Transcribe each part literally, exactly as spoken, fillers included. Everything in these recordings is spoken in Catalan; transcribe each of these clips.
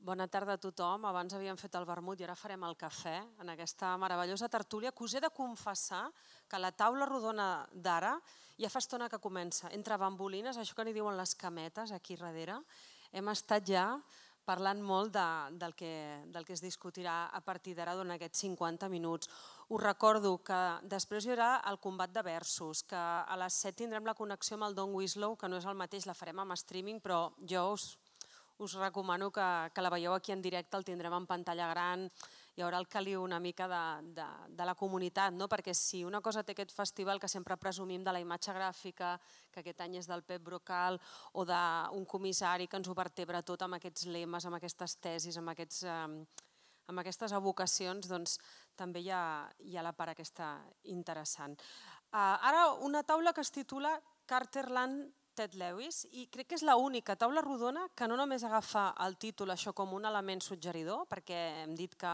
Bona tarda a tothom. Abans havíem fet el vermut i ara farem el cafè en aquesta meravellosa tertúlia que us he de confessar que la taula rodona d'ara ja fa estona que comença. Entre bambolines, això que n'hi diuen les cametes aquí darrere, hem estat ja parlant molt de, del, que, del que es discutirà a partir d'ara durant aquests cinquanta minuts. Us recordo que després hi haurà el combat de versos, que a les set tindrem la connexió amb el Don Winslow, que no és el mateix, la farem amb streaming, però jo us us recomano que, que la veieu aquí en directe, el tindrem en pantalla gran, hi haurà el caliu una mica de, de, de la comunitat, no? Perquè si una cosa té aquest festival que sempre presumim de la imatge gràfica, que aquest any és del Pep Brocal, o d'un comissari que ens ho vertebra tot amb aquests lemes, amb aquestes tesis, amb, aquests, eh, amb aquestes evocacions, doncs també hi ha, hi ha la part aquesta interessant. Uh, ara una taula que es titula Carterland Ted Lewis, i crec que és l'única taula rodona que no només agafa el títol això com un element suggeridor, perquè hem dit que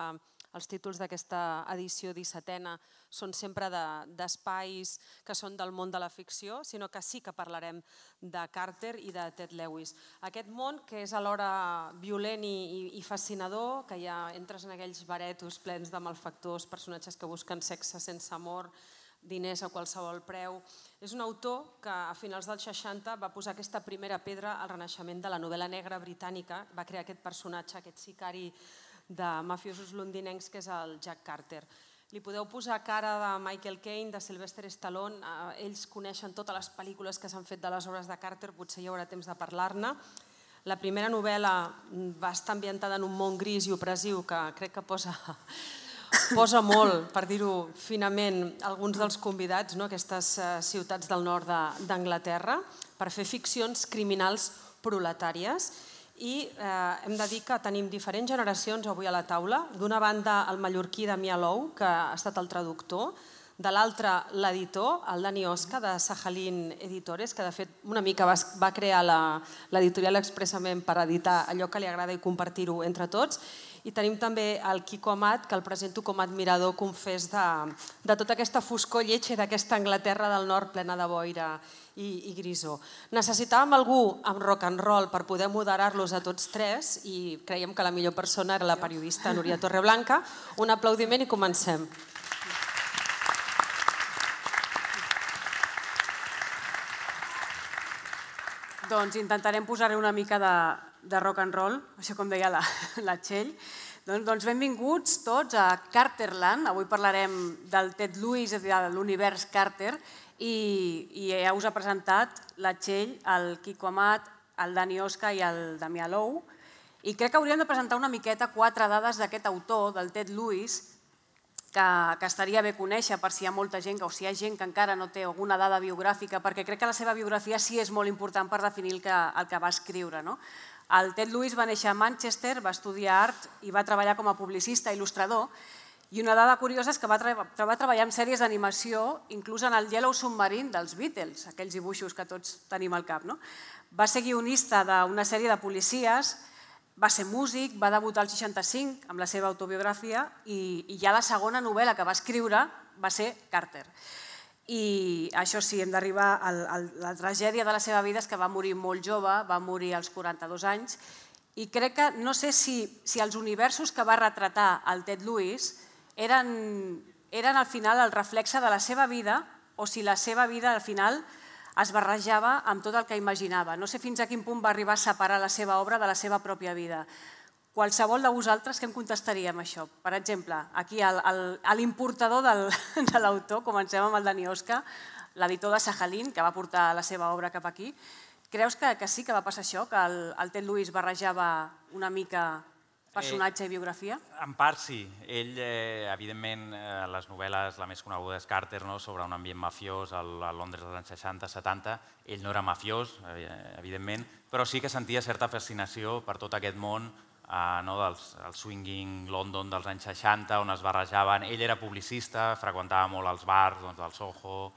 els títols d'aquesta edició dissetena són sempre d'espais que són del món de la ficció, sinó que sí que parlarem de Carter i de Ted Lewis. Aquest món que és alhora violent i, i fascinador, que ja entres en aquells baretos plens de malfactors, personatges que busquen sexe sense amor, diners a qualsevol preu. És un autor que a finals dels seixanta va posar aquesta primera pedra al renaixement de la novel·la negra britànica, va crear aquest personatge, aquest sicari de mafiosos londinencs que és el Jack Carter. Li podeu posar cara de Michael Caine, de Sylvester Stallone, ells coneixen totes les pel·lícules que s'han fet de les obres de Carter, potser hi haurà temps de parlar-ne. La primera novel·la va estar ambientada en un món gris i opressiu que crec que posa... posa molt, per dir-ho finament, alguns dels convidats, no? Aquestes ciutats del nord d'Anglaterra, per fer ficcions criminals proletàries. I eh, hem de dir que tenim diferents generacions avui a la taula. D'una banda, el mallorquí Damià Lou, que ha estat el traductor, de l'altra, l'editor, el Dani Osca, de Sajalin Editores, que de fet una mica va, va crear l'editorial expressament per editar allò que li agrada i compartir-ho entre tots. I tenim també el Quico Amat, que el presento com a admirador confés de, de tota aquesta foscor lletja d'aquesta Anglaterra del nord plena de boira i, i grisó. Necessitàvem algú amb rock and roll per poder moderar-los a tots tres i creiem que la millor persona era la periodista Núria Torreblanca. Un aplaudiment i comencem. Doncs intentarem posar-hi una mica de, de rock and roll, això com deia la, la Txell. Doncs, doncs benvinguts tots a Carterland. Avui parlarem del Ted Lewis, de l'univers Carter, i, i ja us ha presentat la Txell, el Quico Amat, el Dani Osca i el Damià Lou. I crec que hauríem de presentar una miqueta quatre dades d'aquest autor, del Ted Lewis, que, que estaria bé conèixer per si hi ha molta gent o si hi ha gent que encara no té alguna dada biogràfica, perquè crec que la seva biografia sí és molt important per definir el que, el que va escriure. No? El Ted Lewis va néixer a Manchester, va estudiar art i va treballar com a publicista i il·lustrador. I una dada curiosa és que va, treba, va treballar en sèries d'animació, inclús en el Yellow Submarine dels Beatles, aquells dibuixos que tots tenim al cap. No? Va ser guionista d'una sèrie de policies, va ser músic, va debutar al seixanta-cinc amb la seva autobiografia i, i ja la segona novel·la que va escriure va ser Carter. I això sí, hem d'arribar a la tragèdia de la seva vida és que va morir molt jove, va morir als quaranta-dos anys i crec que no sé si, si els universos que va retratar el Ted Lewis eren, eren al final el reflexe de la seva vida o si la seva vida al final es barrejava amb tot el que imaginava. No sé fins a quin punt va arribar a separar la seva obra de la seva pròpia vida. Qualsevol de vosaltres, què em contestaria amb això? Per exemple, aquí l'importador de l'autor, comencem amb el Dani Osca, l'editor de Sajalin, que va portar la seva obra cap aquí. Creus que, que sí que va passar això, que el, el Ted Lewis barrejava una mica personatge i biografia? En part sí. Ell, eh, evidentment, eh, les novel·les, la més coneguda és Carter, no? Sobre un ambient mafiós a Londres dels anys seixanta setanta. Ell no era mafiós, eh, evidentment, però sí que sentia certa fascinació per tot aquest món eh, no? del el swinging London dels anys seixanta, on es barrejaven. Ell era publicista, freqüentava molt els bars doncs, del Soho,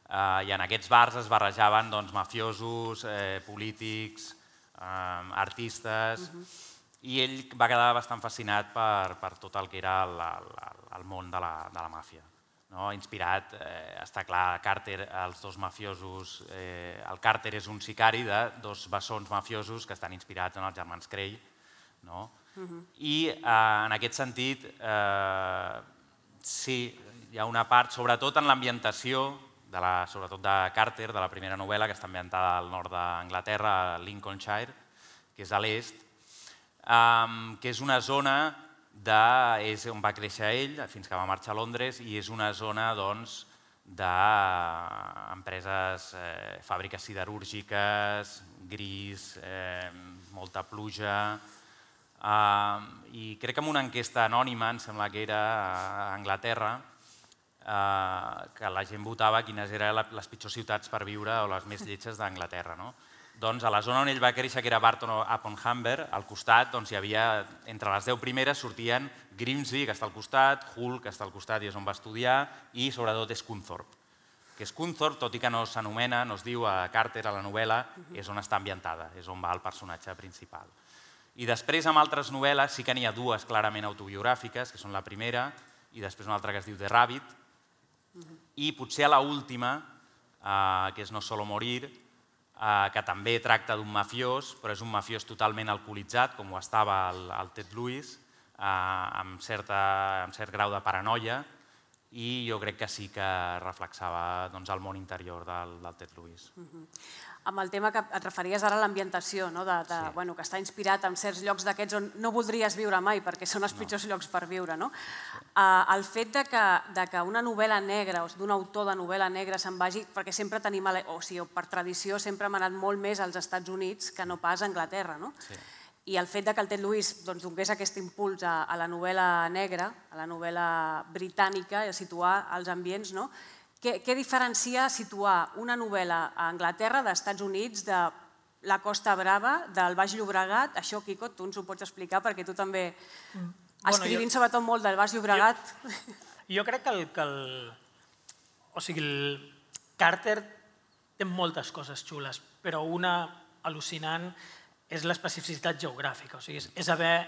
eh, i en aquests bars es barrejaven doncs, mafiosos, eh, polítics, eh, artistes... Uh-huh. I ell va quedar bastant fascinat per, per tot el que era el, el, el món de la, de la màfia. No? Inspirat, eh, està clar, Carter, els dos mafiosos, eh, el Carter és un sicari de dos bessons mafiosos que estan inspirats en els germans Cray, no? I en aquest sentit, sí, hi ha una part, sobretot en l'ambientació, sobretot de Carter, de la primera novel·la, que està ambientada al nord d'Anglaterra, a Lincolnshire, que és a l'est, que és una zona on va créixer ell fins que va marxar a Londres i és una zona d'empreses, fàbriques siderúrgiques, gris, molta pluja, i crec que en una enquesta anònima, em sembla que era a Anglaterra, que la gent votava quines eren les pitjors ciutats per viure o les més lletges d'Anglaterra. Doncs a la zona on ell va créixer, que era Barton upon Humber, al costat hi havia, entre les deu primeres sortien Grimsby, que està al costat, Hull, que està al costat i és on va estudiar, i sobretot Scunthorpe. Que Scunthorpe, tot i que no s'anomena, no es diu a Carter, a la novel·la, és on està ambientada, és on va el personatge principal. I després, amb altres novel·les, sí que n'hi ha dues clarament autobiogràfiques, que són la primera, i després una altra que es diu The Rabbit, i potser a l'última, que és No solo morir, que també tracta d'un mafiós, però és un mafiós totalment alcoholitzat, com ho estava el Ted Lewis, amb cert grau de paranoia, i jo crec que sí que reflexava el món interior del Ted Lewis. Amb el tema que et referies ara a l'ambientació, que està inspirat en certs llocs d'aquests on no voldries viure mai perquè són els pitjors llocs per viure. El fet que una novel·la negra o d'un autor de novel·la negra se'n vagi, perquè sempre tenim, o sigui, per tradició sempre hem anat molt més als Estats Units que no pas a Anglaterra, i el fet que el Ted Lewis donés aquest impuls a la novel·la negra, a la novel·la britànica, a situar els ambients, què diferencia situar una novel·la a Anglaterra, dels Estats Units, de la Costa Brava, del Baix Llobregat? Això, Quico, tu ens ho pots explicar perquè tu també, escrivint sobretot molt del Baix Llobregat... Jo crec que el Carter té moltes coses xules, però una al·lucinant és l'especificitat geogràfica. És haver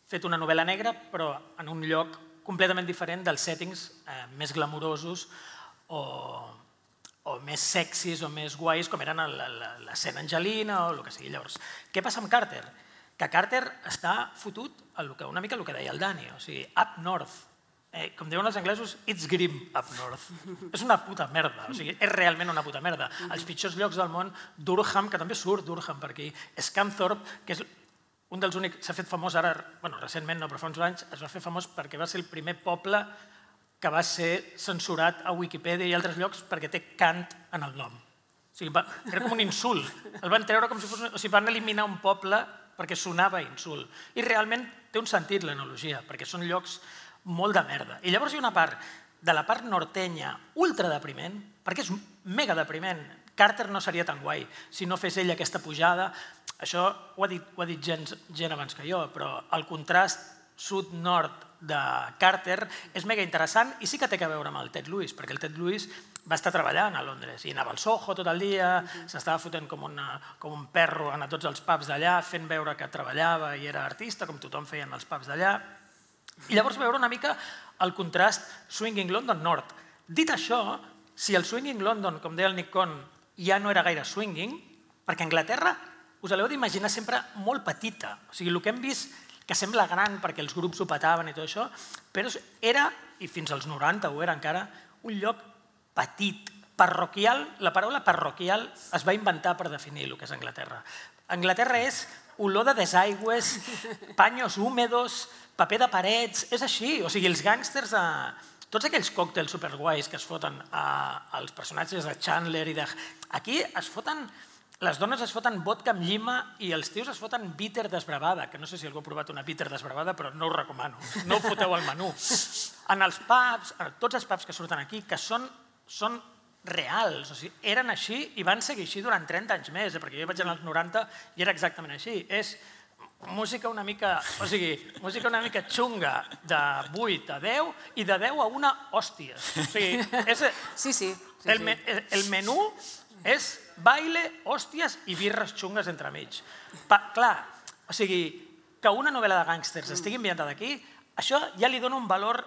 fet una novel·la negra, però en un lloc completament diferent dels settings més glamurosos o més sexis o més guais, com eren l'escena Angelina o el que sigui. Llavors, què passa amb Carter? Que Carter està fotut una mica el que deia el Dani, o sigui, up north. Com diuen els anglesos, it's grim up north. És una puta merda, o sigui, és realment una puta merda. Els pitjors llocs del món, Durham, que també surt Durham per aquí, Scunthorpe, que és un dels únics, s'ha fet famós ara, bueno, recentment no, però fa uns anys, es va fer famós perquè va ser el primer poble que va ser censurat a Wikipedia i altres llocs perquè té Kant en el nom. O sigui, era com un insult. El van treure com si fos... O sigui, van eliminar un poble perquè sonava insult. I realment té un sentit l'analogia, perquè són llocs molt de merda. I llavors hi ha una part de la part nortenya ultra depriment, perquè és mega depriment. Carter no seria tan guai si no fes ell aquesta pujada. Això ho ha dit gent abans que jo, però el contrast sud-nord de Carter és mega interessant i sí que té a veure amb el Ted Lewis, perquè el Ted Lewis va estar treballant a Londres i anava al Soho tot el dia, s'estava fotent com un perro a tots els pubs d'allà, fent veure que treballava i era artista, com tothom feia en els pubs d'allà. I llavors veure una mica el contrast Swinging London Nord. Dit això, si el Swinging London, com deia el Nick Cohn, ja no era gaire swinging, perquè Anglaterra us l'heu d'imaginar sempre molt petita. O sigui, el que hem vist, que sembla gran perquè els grups ho petaven i tot això, però era, i fins als noranta ho era encara, un lloc petit, parroquial. La paraula parroquial es va inventar per definir el que és Anglaterra. Anglaterra és olor de desaigües, paños húmedos, paper de parets, és així. O sigui, els gàngsters, tots aquells còctels superguais que es foten als personatges de Chandler i de... Aquí es foten... Les dones es foten vodka amb llima i els tios es foten bitter desbravada, que no sé si algú ha provat una bitter desbravada, però no ho recomano. No ho foteu al menú. En els pubs, tots els pubs que surten aquí, que són reals, o sigui, eren així i van seguir així durant trenta anys més, perquè jo vaig anar als noranta i era exactament així. És música una mica, o sigui, música una mica xunga de vuit a deu i de deu a una hòstia. O sigui, és... Sí, sí. El menú és baile, hòsties i birres xungues entremig. Clar, o sigui, que una novel·la de gàngsters estigui ambientada aquí, això ja li dona un valor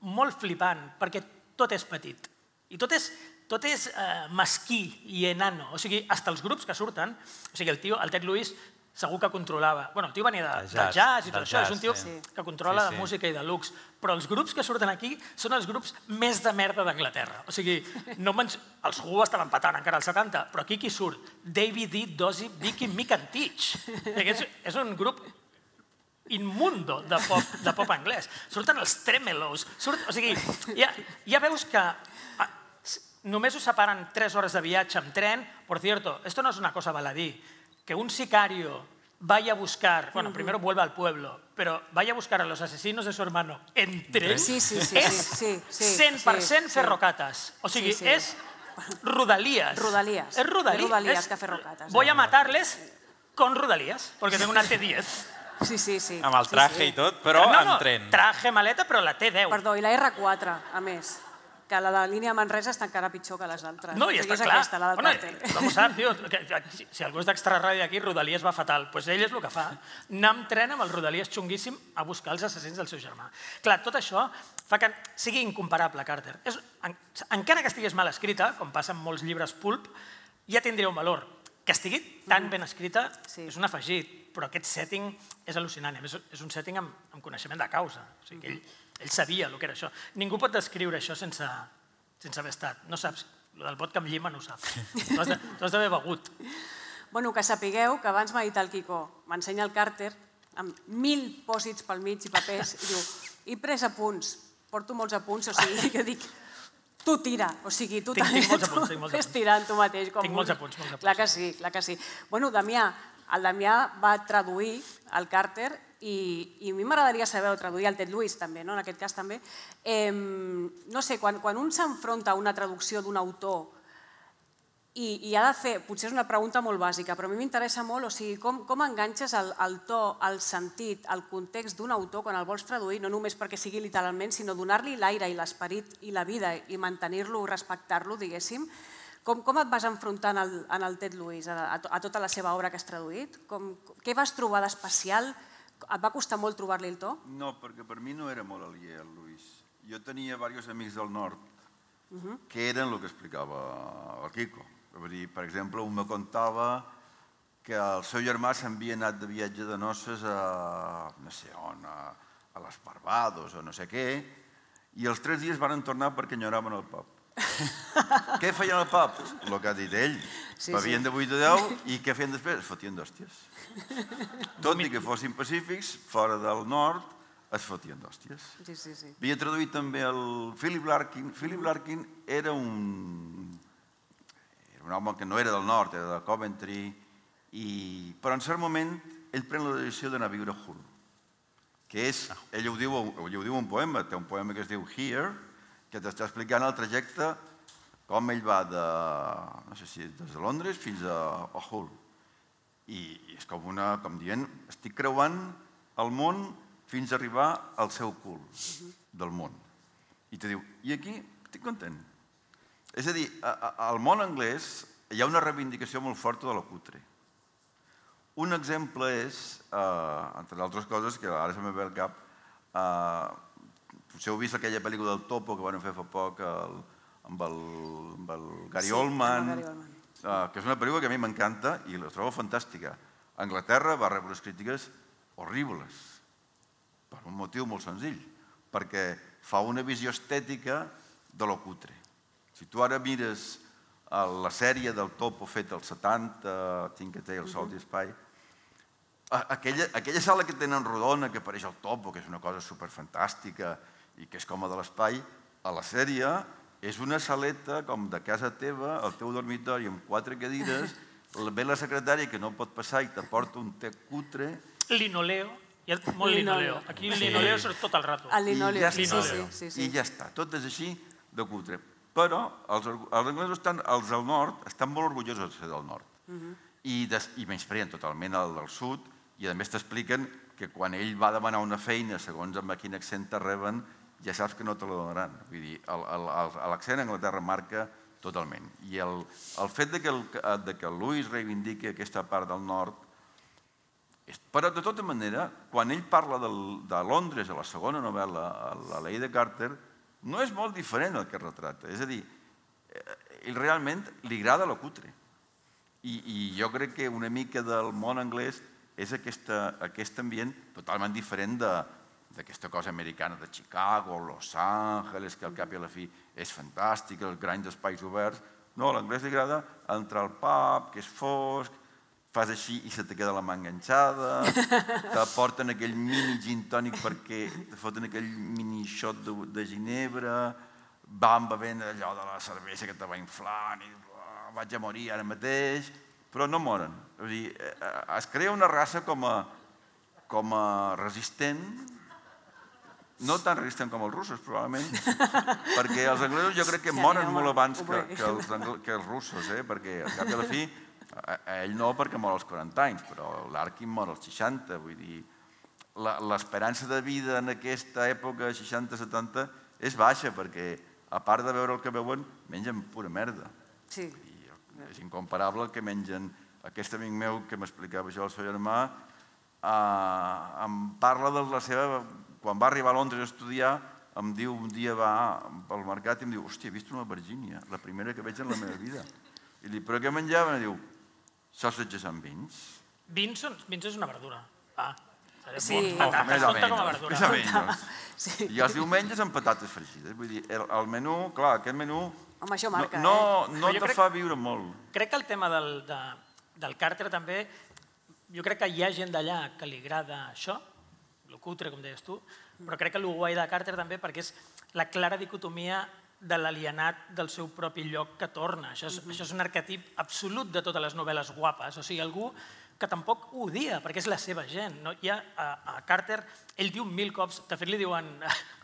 molt flipant, perquè tot és petit. I tot és mesquí i enano. O sigui, fins els grups que surten, o sigui, el tio, el Ted Lewis, segur que controlava... Bueno, el tio venia de, Del del jazz, jazz i tot del això, és jazz, un tio sí. que controla Sí, de sí. música i de lux, però els grups que surten aquí són els grups més de merda d'Anglaterra. O sigui, no menys... els Who estaven patant encara als setanta, però aquí qui surt? David D. Dozy, Vicky, Mick and Teach. És, és un grup immundo de pop, de pop anglès. Surten els Tremelos. Surt, o sigui, ja, ja veus que ah, només us separen tres hores de viatge amb tren. Por cierto, esto no es una cosa baladí, que un sicario vaya a buscar, bueno, primero vuelve al pueblo, pero vaya a buscar a los asesinos de su hermano en tren, Sí, sí, sí, és sí, sí, sí, cent per cent sí. ferrocates. O sigui, Sí, sí. és Rodalías. Rodalías. És Rodalías. Més Rodalías És, que ferrocates. Voy a matarles con Rodalías, porque tengo una T diez. Sí, sí, sí. Amb el traje sí, sí. i tot, però no, en no, tren. traje, maleta, però la T deu. Perdó, i la R quatre, a més, que la de línia Manresa està encara pitjor que les altres. No, i O sigui, està és clar. aquesta, la del Bueno, càrtel. com ho sap, tio, que, que, si, si algú és d'extraradi d'aquí, Rodalies va fatal. Doncs pues ell és el que fa. Anar amb tren amb el Rodalies xunguíssim a buscar els assassins del seu germà. Clar, tot això fa que sigui incomparable, Carter. És, en, encara que estigués mal escrita, com passa amb molts llibres pulp, ja tindria un valor. Que estigui tan ben escrita Sí. és un afegit, però aquest setting és al·lucinant. A més, és un setting amb, amb coneixement de causa. O sigui, que ell, ell sabia el que era això. Ningú pot descriure això sense, sense haver estat. No saps, el del vodka amb llima no ho saps. Tu has de- tu has d'haver begut. Bueno, que sapigueu que abans m'ha dit el Quico, m'ensenya el Carter, amb mil pòsits pel mig i papers, i diu, he pres apunts, porto molts apunts, o sigui, que dic, tu tira, o sigui, tu Tinc- també, tinc molts tu apunts, tinc molts ves apunts. tirant tu mateix. Com Tinc molts vulguis. apunts, molts apunts. Clar que sí, clar que sí. Bueno, Damià, el Damià va traduir el Carter i, i a mi m'agradaria saber, o traduir el Ted Lewis també, no? En aquest cas també. Eh, no sé, quan, quan un s'enfronta a una traducció d'un autor i, i ha de fer, potser és una pregunta molt bàsica, però a mi m'interessa molt, o sigui, com, com enganxes el, el to, el sentit, el context d'un autor quan el vols traduir, no només perquè sigui literalment, sinó donar-li l'aire i l'esperit i la vida i mantenir-lo, respectar-lo, diguéssim. Com, com et vas enfrontar en el, en el Ted Lewis, a, a, a tota la seva obra que has traduït? Com, què vas trobar d'especial? Et va costar molt trobar-li el to? No, perquè per mi no era molt aliè el Luis. Jo tenia diversos amics del nord que eren el que explicava el Quico. Vull dir, per exemple, un me contava que el seu germà s'havia anat de viatge de noces a, no sé on, a, a les Barbados o no sé què, i els tres dies van tornar perquè enyoraven el pub. Què feien al pub? El que ha dit ell. Sí, Bevien sí. de vuit a deu i què feien després? Es fotien d'hòsties. Tot i que fossin pacífics, fora del nord, es fotien d'hòsties. Sí, sí, sí. Havia traduït també el Philip Larkin. Philip Larkin era un, era un home que no era del nord, era de Coventry, i, però en cert moment ell pren la decisió d'anar a viure a Hull, que és, ell ho diu, ell ho diu un poema, té un poema que es diu Here, que t'està explicant el trajecte, com ell va de, no sé si des de Londres fins a, a Hull. I és com una, com dient, estic creuant el món fins a arribar al seu cul del món. I te diu, i aquí estic content. És a dir, al món anglès hi ha una reivindicació molt forta de la cutre. Un exemple és, eh, entre altres coses, que ara se me ve al cap, eh, potser heu vist aquella pel·lícula del Topo que van fer fa poc el, amb, el, amb el Gary Sí, Oldman, amb el Gary Oldman. eh, que és una pel·lícula que a mi m'encanta i la trobo fantàstica. A Anglaterra va rebre unes crítiques horribles, per un motiu molt senzill, perquè fa una visió estètica de lo cutre. Si tu ara mires la sèrie del Topo feta als setanta, Tinker Tailor Solstice Spy, aquella, aquella sala que tenen rodona, que apareix el Topo, que és una cosa superfantàstica i que és com a de l'espai, a la sèrie és una saleta com de casa teva, el teu dormitori amb quatre cadires, ve la secretària que no pot passar i t'aporta un te cutre. Linoleo, hi ha molt linoleo. Aquí el linoleo surt tot el rato. El linoleo, I ja sí, està. sí, sí, sí. I ja està, tot és així de cutre. Però els, els anglesos, estan, els del nord, estan molt orgullosos de ser del nord. I, des, i menyspreen totalment el del sud, i a més t'expliquen que quan ell va demanar una feina, segons amb quin accent te reben, ja saps que no te la donaran. Vull dir, l'accent a Anglaterra marca totalment. I el, el fet de que el, de que el Lewis reivindiqui aquesta part del nord, però de tota manera, quan ell parla del, de Londres a la segona novel·la, a la Llei de Carter, no és molt diferent el que retrata. És a dir, ell realment li agrada lo cutre. I, i jo crec que una mica del món anglès és aquest ambient totalment diferent d'aquesta cosa americana de Chicago, Los Angeles, que al cap i a la fi és fantàstic, els grans espais oberts. No, a l'anglès li agrada entrar al pub, que és fosc, fas així i se te queda la mà enganxada, te porten aquell mini gin tònic perquè te foten aquell mini shot de ginebra, van bevent allò de la cervesa que te va inflant i vaig a morir ara mateix, però no moren. Es crea una raça com a resistent, no tan resistent com els russos, probablement, perquè els anglesos jo crec que moren molt abans que els russos, perquè al cap i a la fi, ell no perquè mor als quaranta anys, però l'Arkin mor als seixanta, vull dir, l'esperança de vida en aquesta època, seixanta setanta, és baixa, perquè a part de veure el que veuen, mengen pura merda. Sí. És incomparable el que mengen. Aquest amic meu que m'explicava això, el seu germà, em parla de la seva... Quan va arribar a Londres a estudiar, em diu, un dia va pel mercat i em diu, hòstia, he vist una Virgínia, la primera que veig en la meva vida. I li dic, però què menjaven? I diu, sausages amb vins. Vins és una verdura. Ah, sí. Patates, compta com a verdura. Més o menys. I els diumenges amb patates fregides. Vull dir, el menú, clar, aquest menú Home, això marca, no, eh? no te fa viure molt. Crec que el tema del, de, del Carter també, jo crec que hi ha gent d'allà que li agrada això, el cutre, com deies tu, però crec que el guai de Carter també perquè és la clara dicotomia de l'alienat del seu propi lloc que torna. Això és, això és un arquetip absolut de totes les novel·les guapes. O sigui, algú que tampoc ho odia, perquè és la seva gent. No? Hi ha, a, a Carter, ell diu mil cops, de fet li diuen,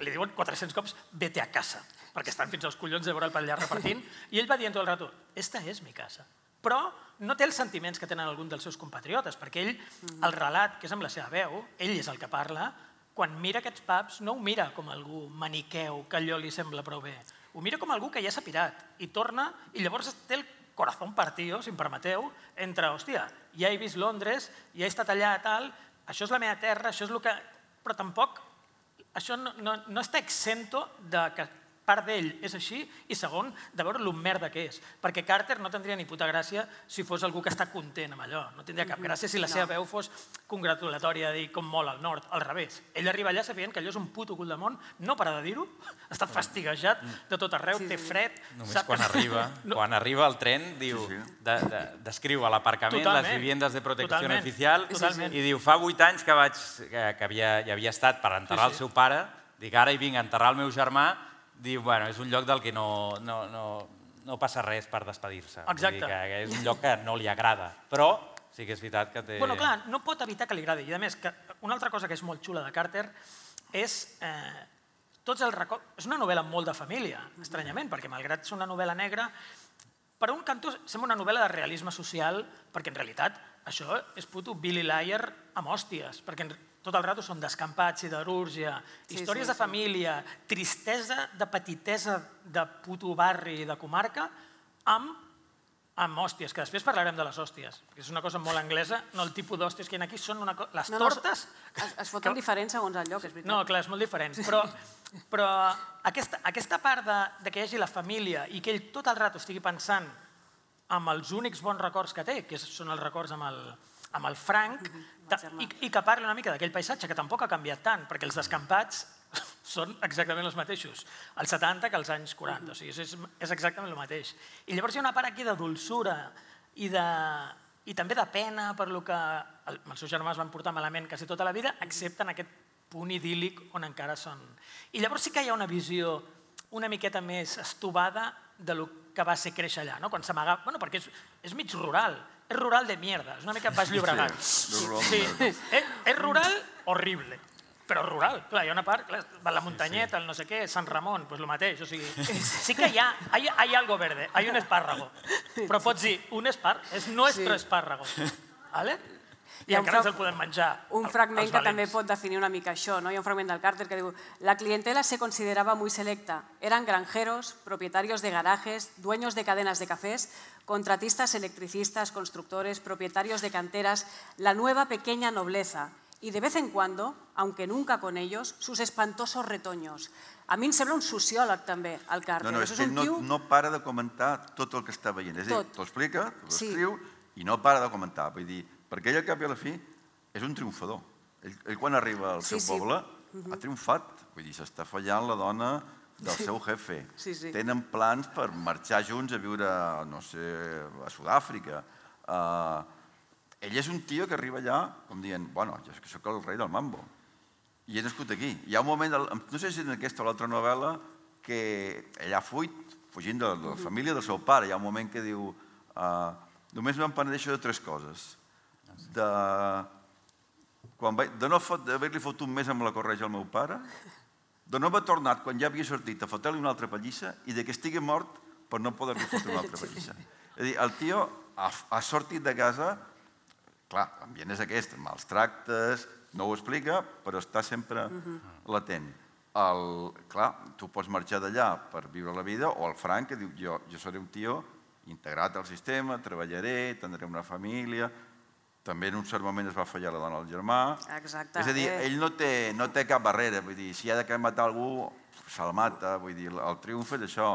li diuen quatre-cents cops, vete a casa, perquè estan fins als collons de veure el per allà repartint, i ell va dient tot el rato, esta és mi casa. Però no té els sentiments que tenen alguns dels seus compatriotes, perquè ell, el relat, que és amb la seva veu, ell és el que parla, quan mira aquests pubs no ho mira com algú maniqueu que allò li sembla prou bé, ho mira com algú que ja s'ha pirat i torna i llavors té el corazón partido, si em permeteu, entre, hòstia, ja he vist Londres, ja he estat allà, tal, això és la meva terra, això és el que... Però tampoc, això no, no, no està exento de que part d'ell és així i segon, de veure lo merda que és. Perquè Carter no tindria ni puta gràcia si fos algú que està content amb allò. No tindria cap gràcia si la seva veu fos congratulatòria de dir com mola el nord, al revés. Ell arriba allà sabent que allò és un puto cul de món, no para de dir-ho, està fastiguejat de tot arreu, té fred... Només quan arriba, quan arriba el tren, diu, descriu a l'aparcament les viviendes de protecció oficial i diu, fa vuit anys que hi havia estat per enterrar el seu pare, dic, ara hi vinc a enterrar el meu germà, diu, bueno, és un lloc del que no passa res per despedir-se. Exacte. És un lloc que no li agrada, però sí que és veritat que té... Bueno, clar, no pot evitar que li agradi. I a més, una altra cosa que és molt xula de Carter és tots els records... És una novel·la molt de família, estranyament, perquè malgrat ser una novel·la negra, per un cantó sembla una novel·la de realisme social, perquè en realitat això és puto Billy Liar amb hòsties, perquè tot el rato són descampats, siderúrgia, històries de família, tristesa de petitesa de puto barri i de comarca, amb hòsties, que després parlarem de les hòsties, perquè és una cosa molt anglesa, no el tipus d'hòsties que hi ha aquí, són les tortes... Es foten diferents segons el lloc, és veritat. No, clar, és molt diferent, però aquesta part de que hi hagi la família i que ell tot el rato estigui pensant amb els únics bons records que té, que són els records amb el... amb el Frank, i que parli una mica d'aquell paisatge, que tampoc ha canviat tant, perquè els descampats són exactament els mateixos, als setanta que als anys quaranta, o sigui, és exactament el mateix. I llavors hi ha una part aquí de dolçura i també de pena per lo que els seus germans van portar malament quasi tota la vida, excepte en aquest punt idíl·lic on encara són. I llavors sí que hi ha una visió una miqueta més estovada de lo que va ser créixer allà, quan s'amagava, perquè és mig rural, és rural de mierda, és una mica Baix Llobregat. És rural horrible, però rural. Clar, hi ha una part, la muntanyeta, el no sé què, Sant Ramon, doncs el mateix. O sigui, sí que hi ha, hay algo verde, hay un espárrago, però pots dir, un espárrago, és nuestro espárrago. ¿Vale? I encara ens el podem menjar. Un fragment que també pot definir una mica això. Hi ha un fragment del Carter que diu: la clientela se consideraba muy selecta. Eran granjeros, propietarios de garajes, dueños de cadenas de cafés, contratistas, electricistas, constructores, propietarios de canteras, la nueva pequeña nobleza. Y de vez en cuando, aunque nunca con ellos, sus espantosos retoños. A mi em sembla un sociòleg també, el Carter. No, no, és que no para de comentar tot el que està veient. És a dir, t'ho explica, t'ho escriu i no para de comentar. Vull dir, perquè ell al cap i a la fi és un triomfador. Ell, ell quan arriba al seu poble ha triomfat, vull dir, s'està fallant la dona del seu jefe. Tenen plans per marxar junts a viure, no sé, a Sud-àfrica. Ell és un tio que arriba allà com dient, bueno, jo soc el rei del mambo i he nascut aquí. Hi ha un moment, no sé si en aquesta o l'altra novel·la, que ell ha fuit, fugint de la família del seu pare. Hi ha un moment que diu, només me'n penedeixo de tres coses. De no haver-li fotut més amb la corretja al meu pare, de no haver tornat quan ja havia sortit a fotre-li una altra pallissa i de que estigui mort per no poder-li fotre una altra pallissa. És a dir, el tio ha sortit de casa, clar, l'ambient és aquest, mals tractes, no ho explica, però està sempre latent. Clar, tu pots marxar d'allà per viure la vida, o el Frank, que diu, jo seré un tio integrat al sistema, treballaré, tindré una família, també en un cert moment es va fallar la dona al germà. Exacte. És a dir, ell no té cap barrera, vull dir, si ha de matar algú, se'l mata, vull dir, el triomf és això,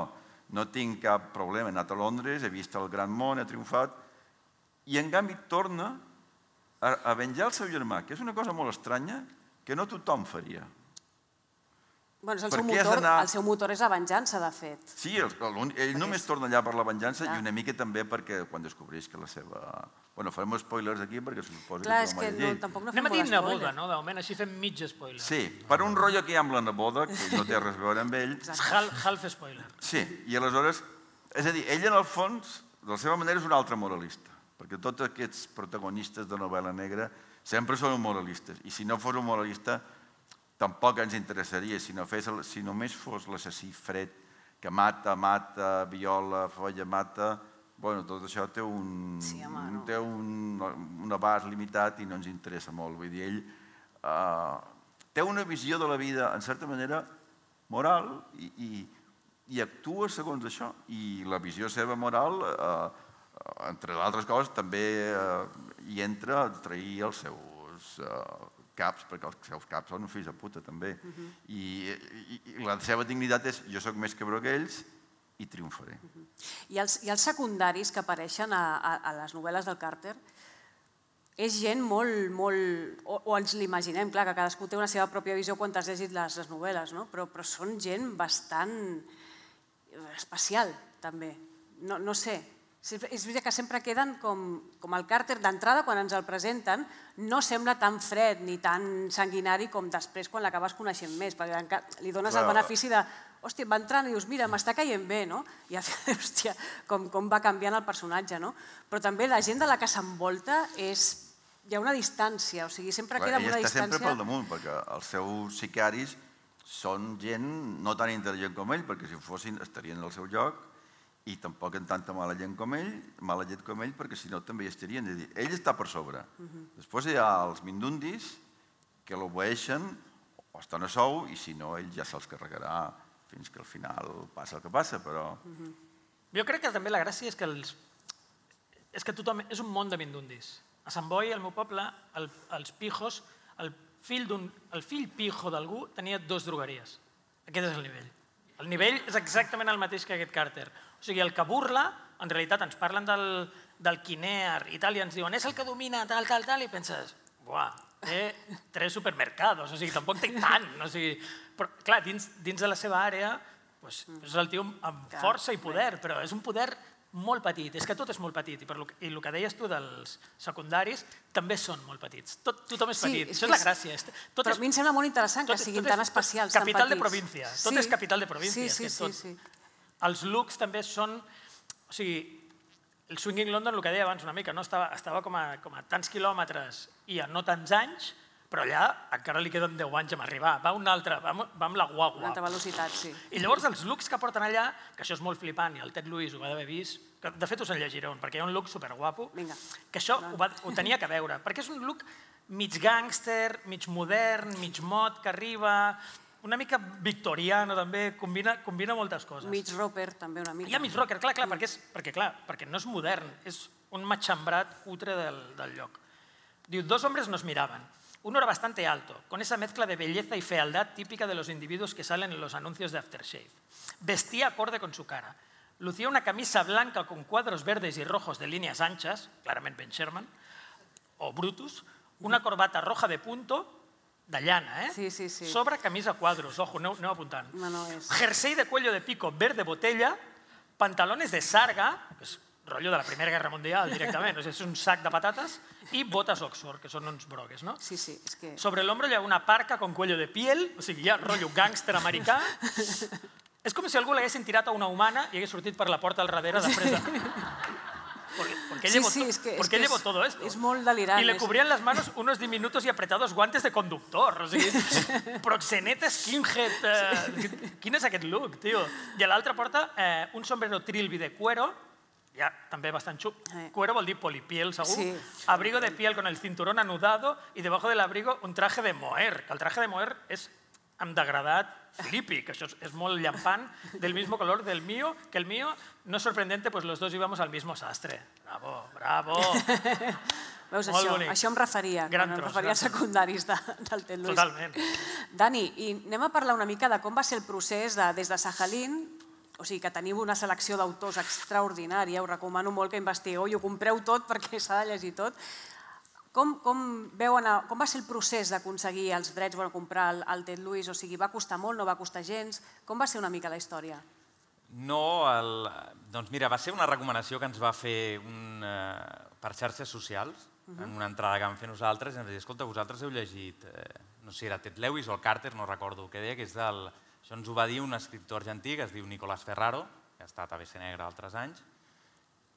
no tinc cap problema, he anat a Londres, he vist el gran món, he triomfat, i en canvi torna a venjar el seu germà, que és una cosa molt estranya, que no tothom faria. El seu motor és la venjança, de fet. Sí, ell només torna allà per la venjança i una mica també perquè quan descobreix que la seva... Bueno, farem spoilers aquí perquè se suposa que és que tampoc no fem Anem a dir molt neboda, spoiler. no? De moment així fem mig spoiler. Sí, per un rotllo que hi ha amb la neboda, que no té res a veure amb ell. Half spoiler. Sí, i aleshores... És a dir, ell en el fons, de la seva manera, és un altre moralista, perquè tots aquests protagonistes de novel·la negra sempre són moralistes, i si no fos un moralista tampoc ens interessaria, si només fos l'assassí fred que mata, mata, viola, folla, mata... Bueno, tot això té un abast limitat i no ens interessa molt. Vull dir, ell té una visió de la vida, en certa manera, moral i actua segons això. I la visió seva moral, entre d'altres coses, també hi entra a trair els seus caps, perquè els seus caps són fills de puta, també. I la seva dignitat és jo sóc més cabró que ells i triomfaré. I els secundaris que apareixen a les novel·les del Carter és gent molt, molt... o ens l'imaginem, clar, que cadascú té una seva pròpia visió quan t'has llegit les novel·les, però són gent bastant especial, també. No sé, és veritat que sempre queden com el Carter d'entrada, quan ens el presenten, no sembla tan fred ni tan sanguinari com després quan l'acabes coneixent més, perquè li dones el benefici de hòstia, va entrant i dius, mira, m'està caient bé, no? I hòstia, com va canviant el personatge, no? Però també la gent de la que s'envolta és... hi ha una distància, o sigui, sempre queda una distància... Ell està sempre pel damunt, perquè els seus sicaris són gent no tan intel·ligent com ell, perquè si ho fossin estarien al seu lloc, i tampoc en tanta mala gent com ell, mala llet com ell, perquè si no també hi estarien. És a dir, ell està per sobre. Després hi ha els mindundis que l'obeeixen o estan a sou, i si no, ell ja se'ls carregarà fins que al final passa el que passa, però... Jo crec que també la gràcia és que és que tothom... és un món de mindundis. A Sant Boi, al meu poble, els pijos, el fill pijo d'algú tenia dos drogueries. Aquest és el nivell. El nivell és exactament el mateix que aquest Carter. O sigui, el que burla, en realitat ens parlen del Kinear i tal, i ens diuen és el que domina tal, tal, tal, i penses, buah, té tres supermercados, o sigui, tampoc té tant, o sigui... Però, clar, dins de la seva àrea, és el tio amb força i poder, però és un poder molt petit, és que tot és molt petit, i el que deies tu dels secundaris també són molt petits, tothom és petit, això és la gràcia. Però a mi em sembla molt interessant que siguin tan especials, tan petits. Capital de província, tot és capital de província. Sí, sí, sí. Els looks també són, o sigui, el Swinging London, el que deia abans una mica, estava com a tants quilòmetres i a no tants anys, però allà encara li queden deu anys a arribar. Va un altre, va amb la guagua. Una altra velocitat, sí. I llavors els looks que porten allà, que això és molt flipant, i el Ted Lewis ho va d'haver vist, que de fet us en llegiré un, perquè hi ha un look superguapo, que això ho tenia que veure, perquè és un look mig gàngster, mig modern, mig mod, que arriba, una mica victoriano també, combina moltes coses. Mig rocker també una mica. Hi ha mig rocker, clar, clar, perquè no és modern, és un matxembrat cutre del lloc. Diu, dos hombres nos miraban. Uno era bastante alto, con esa mezcla de belleza y fealdad típica de los individuos que salen en los anuncios de aftershave. Vestía acorde con su cara. Lucía una camisa blanca con cuadros verdes y rojos de líneas anchas, claramente Ben Sherman, o Brutus, una corbata roja de punto, de llana, eh? Sí, sí, sí. Sobre camisa a quadros, ojo, aneu, aneu apuntant. No, no, és... Jersey de cuello de pico verde botella, pantalones de sarga, que és rotllo de la Primera Guerra Mundial directament, és un sac de patates, i botes Oxford, que són uns brogues, no? Sí, sí, és que... Sobre el hombro hi ha una parca con cuello de piel, o sigui, ja rotllo gàngster americà. És com si algú l'haguessin tirat a una humana i hagués sortit per la porta al darrere després de... Porque, porque Sí, llevo, sí, to- es que- es porque que llevo es- todo esto. es molt delirant, Y le és- cubrían las manos unos diminutos y apretados guantes de conductor. O sigui, proxeneta skinhead. Eh, quin és aquest look, tio? I a l'altra porta eh, un sombrero trilby de cuero, ja també bastant xup. Eh. Cuero vol dir polipiel, segur. Sí. Abrigo de piel con el cinturón anudado y debajo del abrigo un traje de moher, que el traje de moher és amb degradat flippy, que això és, és molt llampant, del mismo color del mío, que el mío, no es sorprendente, pues los dos íbamos al mismo sastre. Bravo, bravo. Veus, Molt això, bonic. això em referia, Gran quan em tros, referia gran als tros. secundaris de, del Ted Lewis. Totalment. Dani, i anem a parlar una mica de com va ser el procés de, des de Sajalín, o sigui que teniu una selecció d'autors extraordinària, us recomano molt que investigueu i ho compreu tot perquè s'ha de llegir tot. Com, com, veuen, a- com va ser el procés d'aconseguir els drets, bueno, comprar el, el Ted Lewis? O sigui, va costar molt, no va costar gens? Com va ser una mica la història? No, el, doncs mira, va ser una recomanació que ens va fer un, eh, per xarxes socials, en una entrada que vam fer nosaltres, i ens va dir, escolta, vosaltres heu llegit, eh, no sé si era Ted Lewis o el Carter, no recordo què deia, que és del... Això ens ho va dir un escriptor argentí que es diu Nicolás Ferraro, que ha estat a B C Negra altres anys,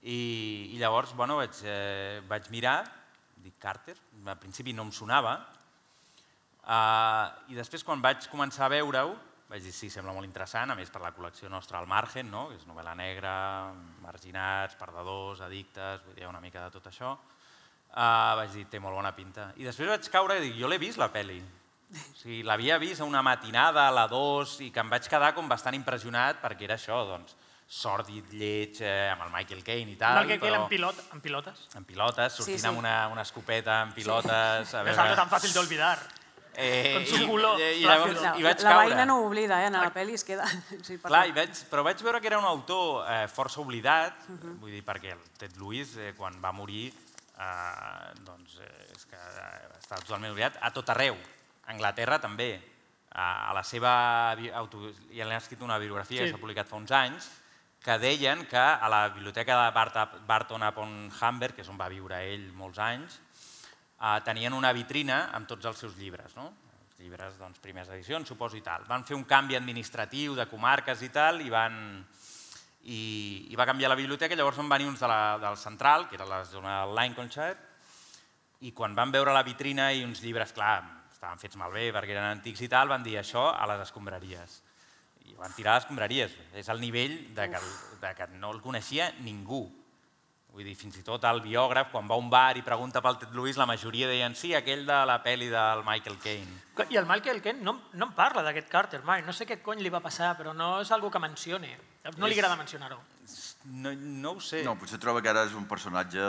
i, i llavors, bueno, vaig, eh, vaig mirar, dic Carter, al principi no em sonava, eh, i després quan vaig començar a veure-ho, vaig dir, sí, sembla molt interessant, a més per la col·lecció nostra al Margen, no? Que és novel·la negra, marginats, perdedors, addictes, vull dir, hi ha una mica de tot això. Uh, vaig dir, té molt bona pinta. I després vaig caure i dic, jo l'he vist la pel·li. O sigui, l'havia vist a una matinada, a la dos, i que em vaig quedar com bastant impressionat perquè era això, doncs, sòrdid, lleig, eh, amb el Michael Caine i tal. Mal que però... en, pilot, en pilotes. En pilotes, sortint Sí, sí. amb una, una escopeta, en pilotes... A Es algo tan fácil de olvidar. Eh, Con su i- culo i, i, flácido. llavors, La, i vaig la caure. veïna no ho oblida, eh? En la pel·li es queda... Sí, Clar, i vaig, però vaig veure que era un autor eh, força oblidat, vull dir, perquè el Ted Lewis, eh, quan va morir, eh, doncs, eh, és que eh, està totalment oblidat, a tot arreu. A Anglaterra també. A, a la seva... bi- Auto, ja l'han escrit una biografia Sí. que s'ha publicat fa uns anys, que deien que a la biblioteca de Bart Barton upon Humber, que és on va viure ell molts anys, eh, tenien una vitrina amb tots els seus llibres, no? Els llibres, doncs, primeres edicions, suposo, i tal. Van fer un canvi administratiu de comarques i tal, i van... I, i va canviar la biblioteca, i llavors van venir uns de la, del Central, que era la zona del Lincolnshire, i quan van veure la vitrina i uns llibres, clar, estaven fets malbé perquè eren antics i tal, van dir això a les escombraries. I van tirar a les escombraries. És el nivell de que, de que no el coneixia ningú. Vull dir, fins i tot el biògraf, quan va a un bar i pregunta pel Ted Lewis, la majoria deien sí, aquell de la pel·li del Michael Caine. I el Michael Caine no, no em parla d'aquest Carter mai. No sé què cony li va passar, però no és algo que mencioni. No li agrada mencionar-ho. No, no ho sé. No, potser troba que ara és un personatge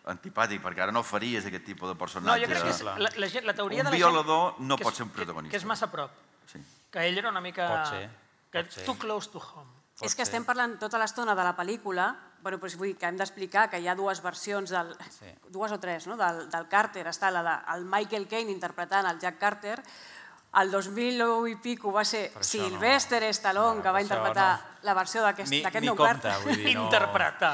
antipàtic, perquè ara no faries aquest tipus de No, personatge. jo crec que és la, la, gent- la teoria Un de la gent... violador no que pot és- ser un protagonista. Que, que és massa a prop. Sí. Que ell era una mica... Pot ser, Que pot ser. too close to home. Pot És que ser. estem parlant tota l'estona de la pel·lícula, bueno, doncs vull dir que hem d'explicar que hi ha dues versions, del, Sí. dues o tres, no? del, del Carter. Està la del Michael Caine interpretant el Jack Carter. El dos mil u i pico va ser Per això no. Sylvester Stallone, No, que va per això interpretar no. la versió d'aquest Ni, d'aquest ni nou compte, Carter. vull dir, no... Interpretar.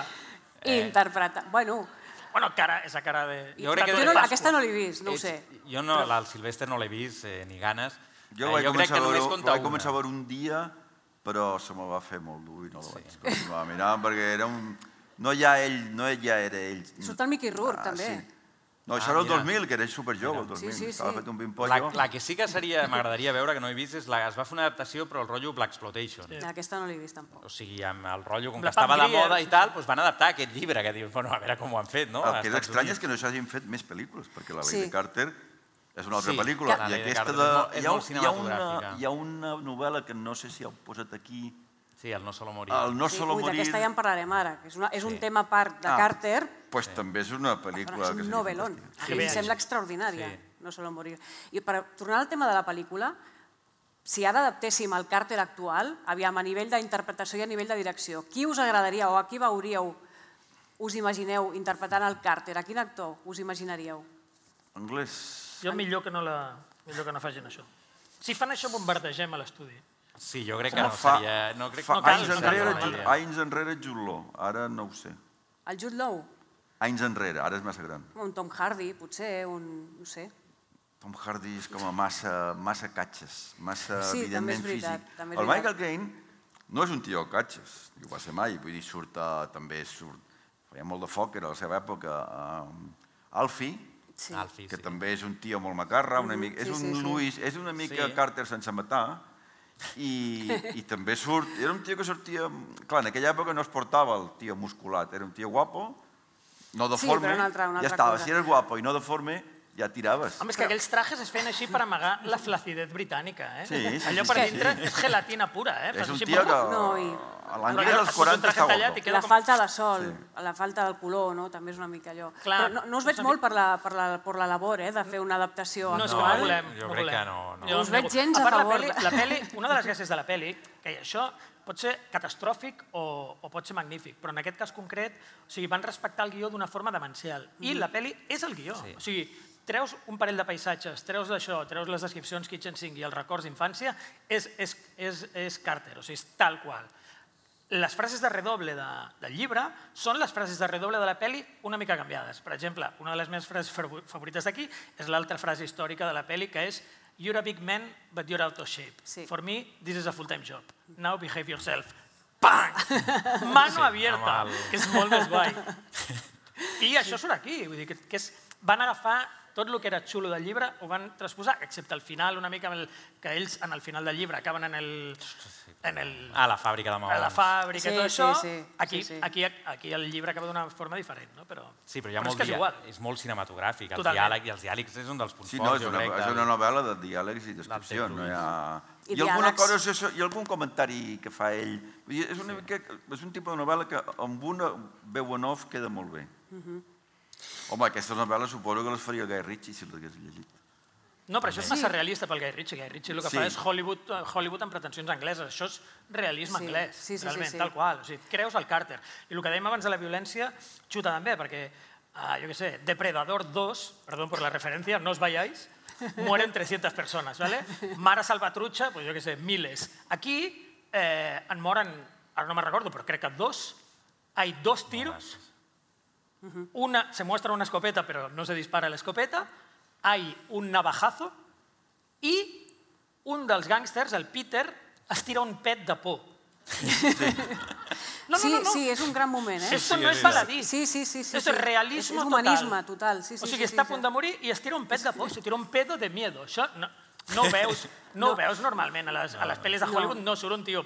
Eh. Interpretar. Bueno, Bueno, cara, esa cara de... Jo crec que- jo de no, Pasqua. aquesta no l'he vist, no ho Ets- sé. Jo no, el Sylvester no l'he vist, eh, ni ganes. Jo Eh, vaig, crec començar, que a només veure, compta vaig començar a una. veure un dia, però se me va fer molt dur i no la vaig continuar mirant, perquè era un... No ja ell, no ja era ell. Surt el Mickey Rourke, Ah, també. sí. No, Ah, això era el mira. dos mil, que era superjove, el dos mil. Sí, sí, Estava sí. fet un La, pimpollo. la que sí que seria, m'agradaria veure, que no he vist, és la, es va fer una adaptació, però el rotllo Blaxploitation. Sí. Aquesta no l'he vist tampoc. O sigui, amb el rotllo, com La que estava Pam de Grier, moda sí, i tal, doncs van adaptar aquest llibre, que dius, bueno, a veure com ho han fet, no? El A que és Estats estrany Units. és que no s'hagin fet més pel·lícules, perquè la Ley Sí. de Carter és una altra Sí, pel·lícula. la I Ley de aquesta Carter de... és molt- és hi, ha, molt hi, ha una, cinematogràfica. hi ha una novel·la que no sé si heu posat aquí, Sí, el No Solo Morir. el No Sí, Solo ui, Morir, d'aquesta ja en parlarem ara, que és, una, és un Sí. tema a part de Ah. Carter, pues també és una però pel·lícula és que un seria novel·lón. fantàstica. A Que mi em bé. sembla extraordinària, Sí. no solo morir. I per tornar al tema de la pel·lícula, si ara adaptéssim el Carter actual, aviam, a nivell d'interpretació i a nivell de direcció, qui us agradaria o a qui veuríeu, us imagineu interpretant el Carter? A quin actor us imaginaríeu? Anglès... Jo millor que no, la, millor que no facin això. Si fan això, bombardegem a l'estudi. Sí, jo crec que no fa, seria... No, crec, fa no cal, anys, no enrere, cal, Jude, no cal. anys enrere Jude Law, ara no ho sé. El Jude Law? Anys enrere, ara és massa gran. Un Tom Hardy, potser, un... no sé. Tom Hardy és com a massa, massa catxes, massa, Sí, també és evidentment, veritat, físic. també és El veritat. Michael Caine no és un tio catxes, ni ho va ser mai, vull dir, surt, eh, també surt, feia molt de foc, era a la seva època, eh, Alfie, Sí. Alfie, que sí. també és un tio molt macarra, una mica, és sí, un sí, sí. Louis, és una mica Sí. Carter sense matar, i, i també surt, era un tio que sortia, clar, en aquella època no es portava el tio musculat, era un tio guapo, no deforme, però una altra- una ja altra estava, cosa. si eres guapo i no deforme, ja tiraves. Home, és que aquells trajes es feien així per amagar la flacidez britànica, eh? Sí, sí, Allò sí, per sí, dintre sí. és gelatina pura, eh? És Fas un així, tio que No, i- a l'anglès Allò, als et fots un quaranta traje està tallat guapo. i queda La com- falta de sol, Sí. la falta del color, no? També és una mica allò. Clar, Però no, no us veig és una molt per la, per, la, per la labor, eh, de fer una adaptació No, és que no actual. volem. Jo no crec volem. que no, no. Jo Us veig nego- gens a part, favor. La peli, la peli, una de les gràcies de la peli, que això pot ser catastròfic o, o pot ser magnífic, però en aquest cas concret, o sigui, van respectar el guió d'una forma demencial. I la peli és el guió. Sí. O sigui, treus un parell de paisatges, treus d'això, treus les descripcions Kitchen Sink i els records d'infància, és, és, és, és Carter, o sigui, és tal qual. Les frases de redoble de, del llibre són les frases de redoble de la peli una mica canviades. Per exemple, una de les meves frases fav- favorites d'aquí és l'altra frase històrica de la peli, que és "You're a big man, but you're out of shape. Sí. For me, this is a full-time job. Now behave yourself." Pam! Mano Sí, abierta, amb el- que és molt més guai. I això surt aquí, vull dir que, que és, van agafar tot el que era xulo del llibre, ho van transposar, excepte al final, una mica, amb el, que ells en el final del llibre acaben en el... En el Ah, la fàbrica de a maons. la fàbrica Sí, i tot sí, això, sí, aquí, sí, sí. Aquí, aquí el llibre acaba d'una forma diferent, no? Però, Sí, però hi ha però molt és que és dia- igual. és molt cinematogràfic, el Totalment. diàleg, i els diàlegs és un dels punts Sí, no, forts, és jo una, crec. és del- una novel·la de diàlegs i descripcions. No hi ha... I I, alguna diàlegs. cosa, és això, i algun comentari que fa ell. Vull dir, és, una mica, és un tipus de novel·la que amb una veu en off queda molt bé. Home, aquestes novel·les suposo que les faria Guy Ritchie si les hagués llegit. No, però això és massa realista pel Guy Ritchie. Guy Ritchie el que Sí. fa és Hollywood, eh, Hollywood amb pretensions angleses. Això és realisme Sí, anglès, sí, sí, sí, realment, sí. tal qual. O sigui, creus el Carter. I el que dèiem abans de la violència xuta també, perquè, uh, jo què sé, Depredador dos, perdón por la referencia, no os vayáis, mueren trescientas personas, ¿vale? Mara Salvatrucha, pues jo què sé, miles. Aquí eh, en moren, ara no me recordo, però crec que dos, hay dos tiros, una, se muestra una escopeta, pero no se dispara la escopeta, hay un navajazo i un dels gàngsters, el Peter, es tira un pet de por. No, no, Sí, no, no. sí, és un gran moment, eh? Esto no es baladí. Sí, sí, sí. sí, Esto sí. es realismo és, és humanisme total. Sí, sí, o sigui, sí, està a sí, punt sí. de morir i es tira un pet de por, se tira un pedo de miedo. Això no, no ho veus, no, ho veus normalment. A les, a les pel·lis de Hollywood no surt un tio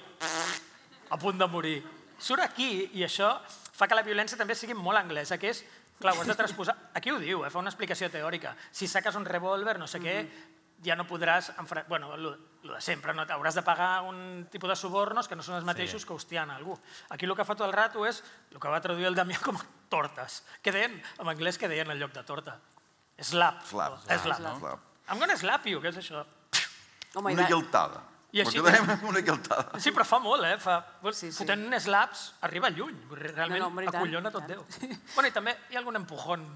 a punt de morir. Surt aquí i això fa que la violència també sigui molt anglesa, que és, clar, ho has de transposar. Aquí ho diu, eh, fa una explicació teòrica. Si saques un revòlver, no sé què, ja no podràs... enfra- Bueno, lo, lo de sempre, no? Hauràs de pagar un tipus de subornos que no són els mateixos que hostiant a algú. Aquí el que fa tot el rato és el que va traduir el Damià com a tortes, que deien, en anglès, que deien en lloc de torta. Slap. Slap. Slap. Slap. Slap. I'm gonna slap you, què és això? Home, i Una de- guiltada. I així- Perquè donem una guiltada. Sí, però fa molt, eh? Fa... Sí, sí. Fotent slaps arriba lluny. Vull dir, Realment No, no, home, i tant, acollona i tot tant. Déu. Bueno, i també hi ha algun empujón.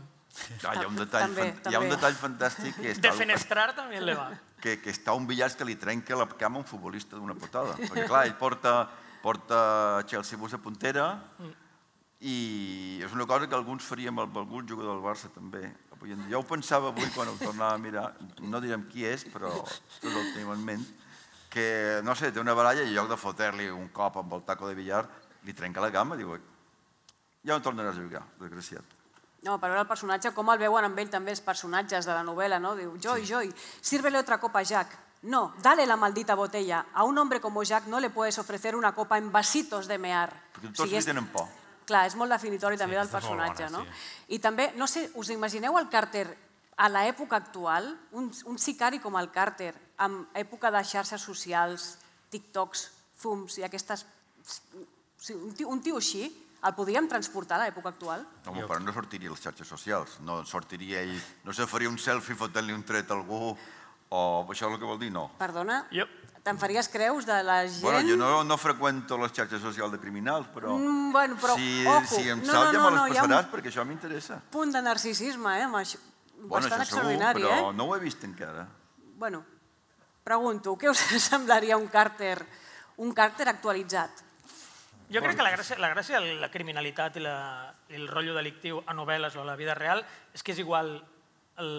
Ah, hi, ha un detall, També, fan- hi ha un també. detall fantàstic que, està, Defenestrar també le va. que, que està un billar que li trenca la cama a un futbolista d'una patada. Perquè, clar, ell porta, porta Chelsea Bus a puntera i és una cosa que alguns faríem amb algun jugador del Barça també. Avui en dia. Jo ho pensava avui quan ho tornava a mirar, no direm qui és, però tots el tenim en ment, que, no sé, té una baralla i en lloc de fotre-li un cop amb el taco de billar, li trenca la cama i diu, ja no tornaràs a jugar, desgraciat. No, per veure el personatge, com el veuen amb ell també els personatges de la novel·la, no? Diu, Joy, Joy, sírvele otra copa a Jack. No, dale la maldita botella. A un hombre como Jack no le puedes ofrecer una copa en vasitos de mear. Perquè O tots sigui, li és- tenen por. Clar, és molt definitori també del aquesta és molt personatge, bona, no? I també, no sé, us imagineu el Carter a l'època actual, un, un sicari com el Carter, amb època de xarxes socials, TikToks, Zooms i aquestes... Sí, un, tio, un tio així, el podríem transportar a l'època actual? Home, però no sortiria a les xarxes socials, no sortiria ell, no se faria un selfie fotent-li un tret a algú, o això és el que vol dir, no. Perdona? Jo. Te'n faries creus de la gent... Bueno, jo no, no freqüento les xarxes socials de criminals, però, Mm, bueno, però, si, ojo, si em no, sap no, ja no, me no, les hi ha un- passaràs perquè això m'interessa. punt de narcisisme, eh? amb això. Bastant això segur, extraordinari, eh? però no ho he vist encara. Bueno, pregunto, què us semblaria un Carter, un Carter actualitzat? Jo crec que la gràcia, la gràcia de la criminalitat i, la, i el rotllo delictiu a novel·les o a la vida real és que és igual el,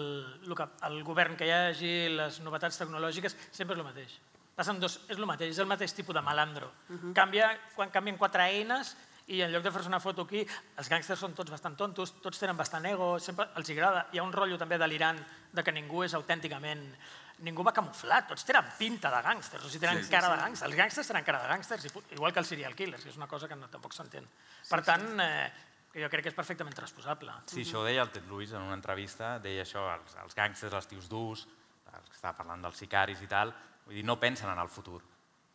el, que, el govern que hi hagi, les novetats tecnològiques, sempre és el mateix. Passen dos, és el mateix, és el mateix tipus de malandro. Canvia, quan canvien quatre eines i en lloc de fer-se una foto aquí, els gàngsters són tots bastant tontos, tots tenen bastant ego, sempre els agrada. Hi ha un rotllo també delirant de que ningú és autènticament... Ningú va camuflat, tots tenen pinta de gàngsters, o sigui, tenen Sí, cara de gàngsters. Els gàngsters tenen cara de gàngsters, igual que els serial killers, que és una cosa que no, tampoc s'entén. Per tant, eh, jo crec que és perfectament transposable. Sí, això ho deia el Ted Lewis en una entrevista, deia això, els, els gàngsters, els tios durs, els que estava parlant dels sicaris i tal, vull dir, no pensen en el futur.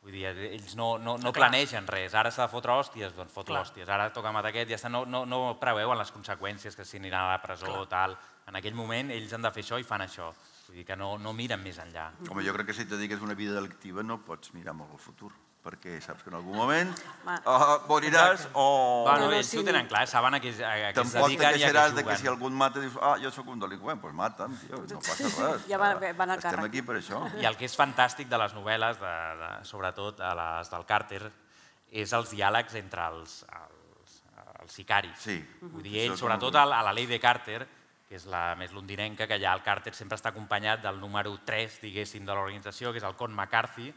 Vull dir, ells no, no, no planegen res. Ara s'ha de fotre hòsties, doncs fotre hòsties. Ara toca matar aquest, ja està, no, no, no preveuen les conseqüències, que si aniran a la presó o tal. En aquell moment ells han de fer això i fan això. Vull dir que no, no miren més enllà. Home, jo crec que si te digues una vida delictiva no pots mirar molt al futur, perquè saps que en algun moment uh, moriràs o... Bueno, ells ho tenen clar, saben a què, a què es Tampoc te dediquen i a què queixaràs de que juguen. si algú et mata dius, ah, jo sóc un delinqüent, doncs mata'm, tio, no passa res. Ja van- van al Estem càrrec. aquí per això. I el que és fantàstic de les novel·les, de, de, sobretot a les del Carter, és els diàlegs entre els, els, els sicaris. Sí. Vull dir, ell, sobretot a la, a la llei de Carter, que és la més londinenca, que allà el Carter sempre està acompanyat del número tres, diguéssim, de l'organització, que és el Con McCarthy,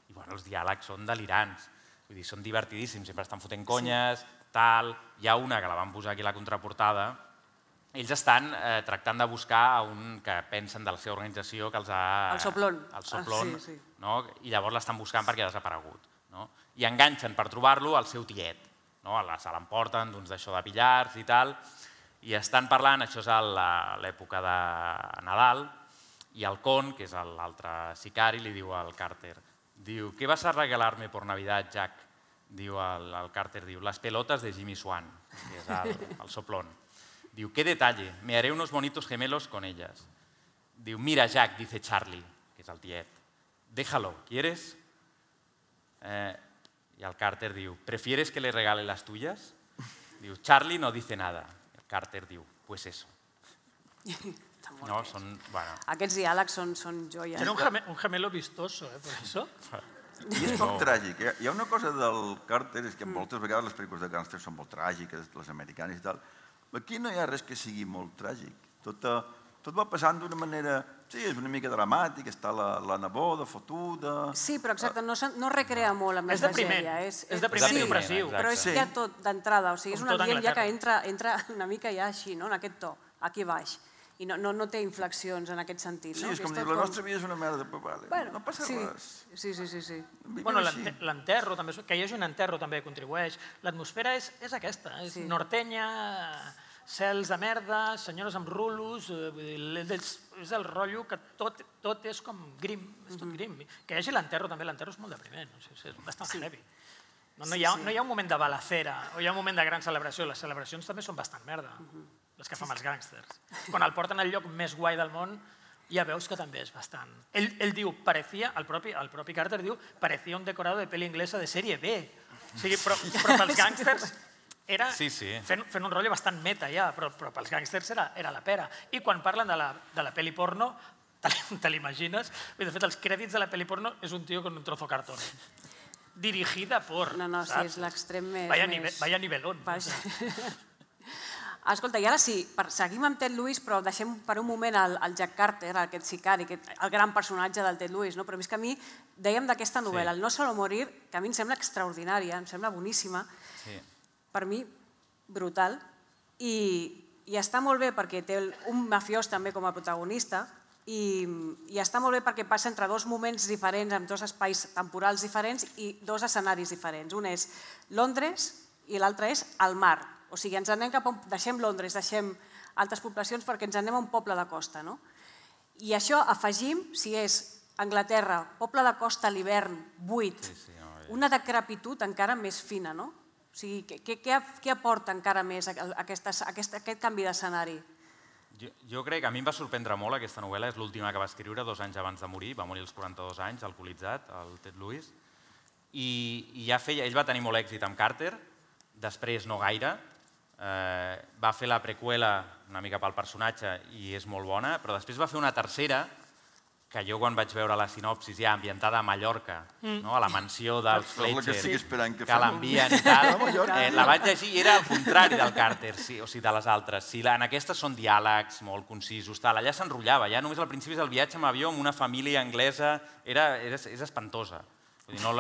i bueno, els diàlegs són delirants. Vull dir, són divertidíssims, sempre estan fotent conyes, tal... Hi ha una que la van posar aquí a la contraportada. Ells estan eh, tractant de buscar a un que pensen de la seva organització que els ha... El Soplón. El Soplón, Ah, sí, sí. no? I llavors l'estan buscant perquè ha desaparegut. No? I enganxen per trobar-lo al seu tiet. No? Se l'emporten d'uns d'això de pillars i tal, i estan parlant, això és a la- l'època de Nadal, i el Con, que és l'altre sicari, li diu al Carter, diu, ¿qué vas a regalarme por Navidad, Jack? Diu el, el Carter, diu, las pelotas de Jimmy Swan, que és el, el soplón. Diu, qué detalle, me haré unos bonitos gemelos con ellas. Diu, mira, Jack, dice Charlie, que és el tiet, déjalo, ¿quieres? Eh, y el Carter diu, ¿prefieres que le regale las tuyas? Diu, Charlie no dice nada. Carter diu, pues eso. No, són, bueno... Aquests diàlegs són, són joies. Era un, geme, un gemelo vistoso, eh, per això. I és poc tràgic. Hi ha- Hi ha una cosa del Carter, és que moltes vegades les pel·lícules de gàngsters són molt tràgiques, les americanes i tal. Aquí no hi ha res que sigui molt tràgic. Tot, eh, tot va passant d'una manera... Sí, és una mica dramàtic, està la, la neboda fotuda... Sí, però exacte, no, se- no recrea molt amb la És depriment, tragèdia. és depriment sí, i opressiu. exacte. Però és Sí. ja tot d'entrada, o sigui, és Com un tot ambient ja que Anglaterra. entra, entra una mica ja així, no? En aquest to, aquí baix. I no, no, no té inflexions en aquest sentit. Sí, no? és Que com dir, tot la nostra vida és una merda, però vale, Bueno, no passa sí. res. Sí, sí, sí, sí. Vivim Bueno, així. l'ente- l'enterro també, que hi hagi un enterro també contribueix. L'atmosfera és, és aquesta, és Sí. nortenya, cels de merda, senyores amb rulos, eh, vull dir, és, és el rotllo que tot, tot és com grim, és tot grim. Que hi hagi l'enterro també, l'enterro és molt depriment, o sigui, és bastant Sí. heavy. No, no, hi ha, no hi ha un moment de balacera o hi ha un moment de gran celebració, les celebracions també són bastant merda, les que fan els gàngsters. Quan el porten al lloc més guai del món, ja veus que també és bastant. Ell, ell diu, parecía, el propi, el propi Carter diu, parecía un decorado de pel·li inglesa de sèrie B. O sigui, però, però pels gàngsters era Sí, sí. Fent, fent un rotllo bastant meta ja, però, però pels gàngsters era, era la pera. I quan parlen de la, de la pel·li porno, te, te l'imagines? De fet, els crèdits de la pel·li porno és un tio con un trozo de cartón. Dirigida por... No, no, sí, saps? és l'extrem més... Vaya, més... nive, vaya nivelón. Baix. Escolta, i ara sí, per, seguim amb Ted Lewis, però deixem per un moment el, el Jack Carter, aquest sicari, aquest, el gran personatge del Ted Lewis, no? Però és que a mi, dèiem d'aquesta novel·la, el No solo morir, que a mi em sembla extraordinària, em sembla boníssima, Sí. per mi, brutal, i, i està molt bé perquè té el- un mafiós també com a protagonista, i, i està molt bé perquè passa entre dos moments diferents, amb dos espais temporals diferents i dos escenaris diferents. Un és Londres i l'altre és el mar. O sigui, ens anem cap a... un- deixem Londres, deixem altres poblacions perquè ens anem a un poble de costa, no? I això afegim, si és Anglaterra, poble de costa a l'hivern, buit, Sí, sí, no, ja. una decrepitud encara més fina, no? O sigui, què, què, què què aporta encara més aquesta, aquest, aquest canvi d'escenari? Jo, jo crec que a mi em va sorprendre molt aquesta novel·la, és l'última que va escriure dos anys abans de morir, va morir als quaranta-dos anys, alcoholitzat, el Ted Lewis, i, i ja feia, ell va tenir molt èxit amb Carter, després no gaire, va fer la preqüela una mica pel personatge i és molt bona, però després va fer una tercera que jo quan vaig veure la sinopsis ja ambientada a Mallorca, a la mansió dels Fletcher, que l'envien i tal, la vaig llegir i era el contrari del Carter, o sigui, de les altres. En aquestes són diàlegs molt concisos, allà s'enrotllava, ja només al principi és el viatge amb avió amb una família anglesa, és espantosa.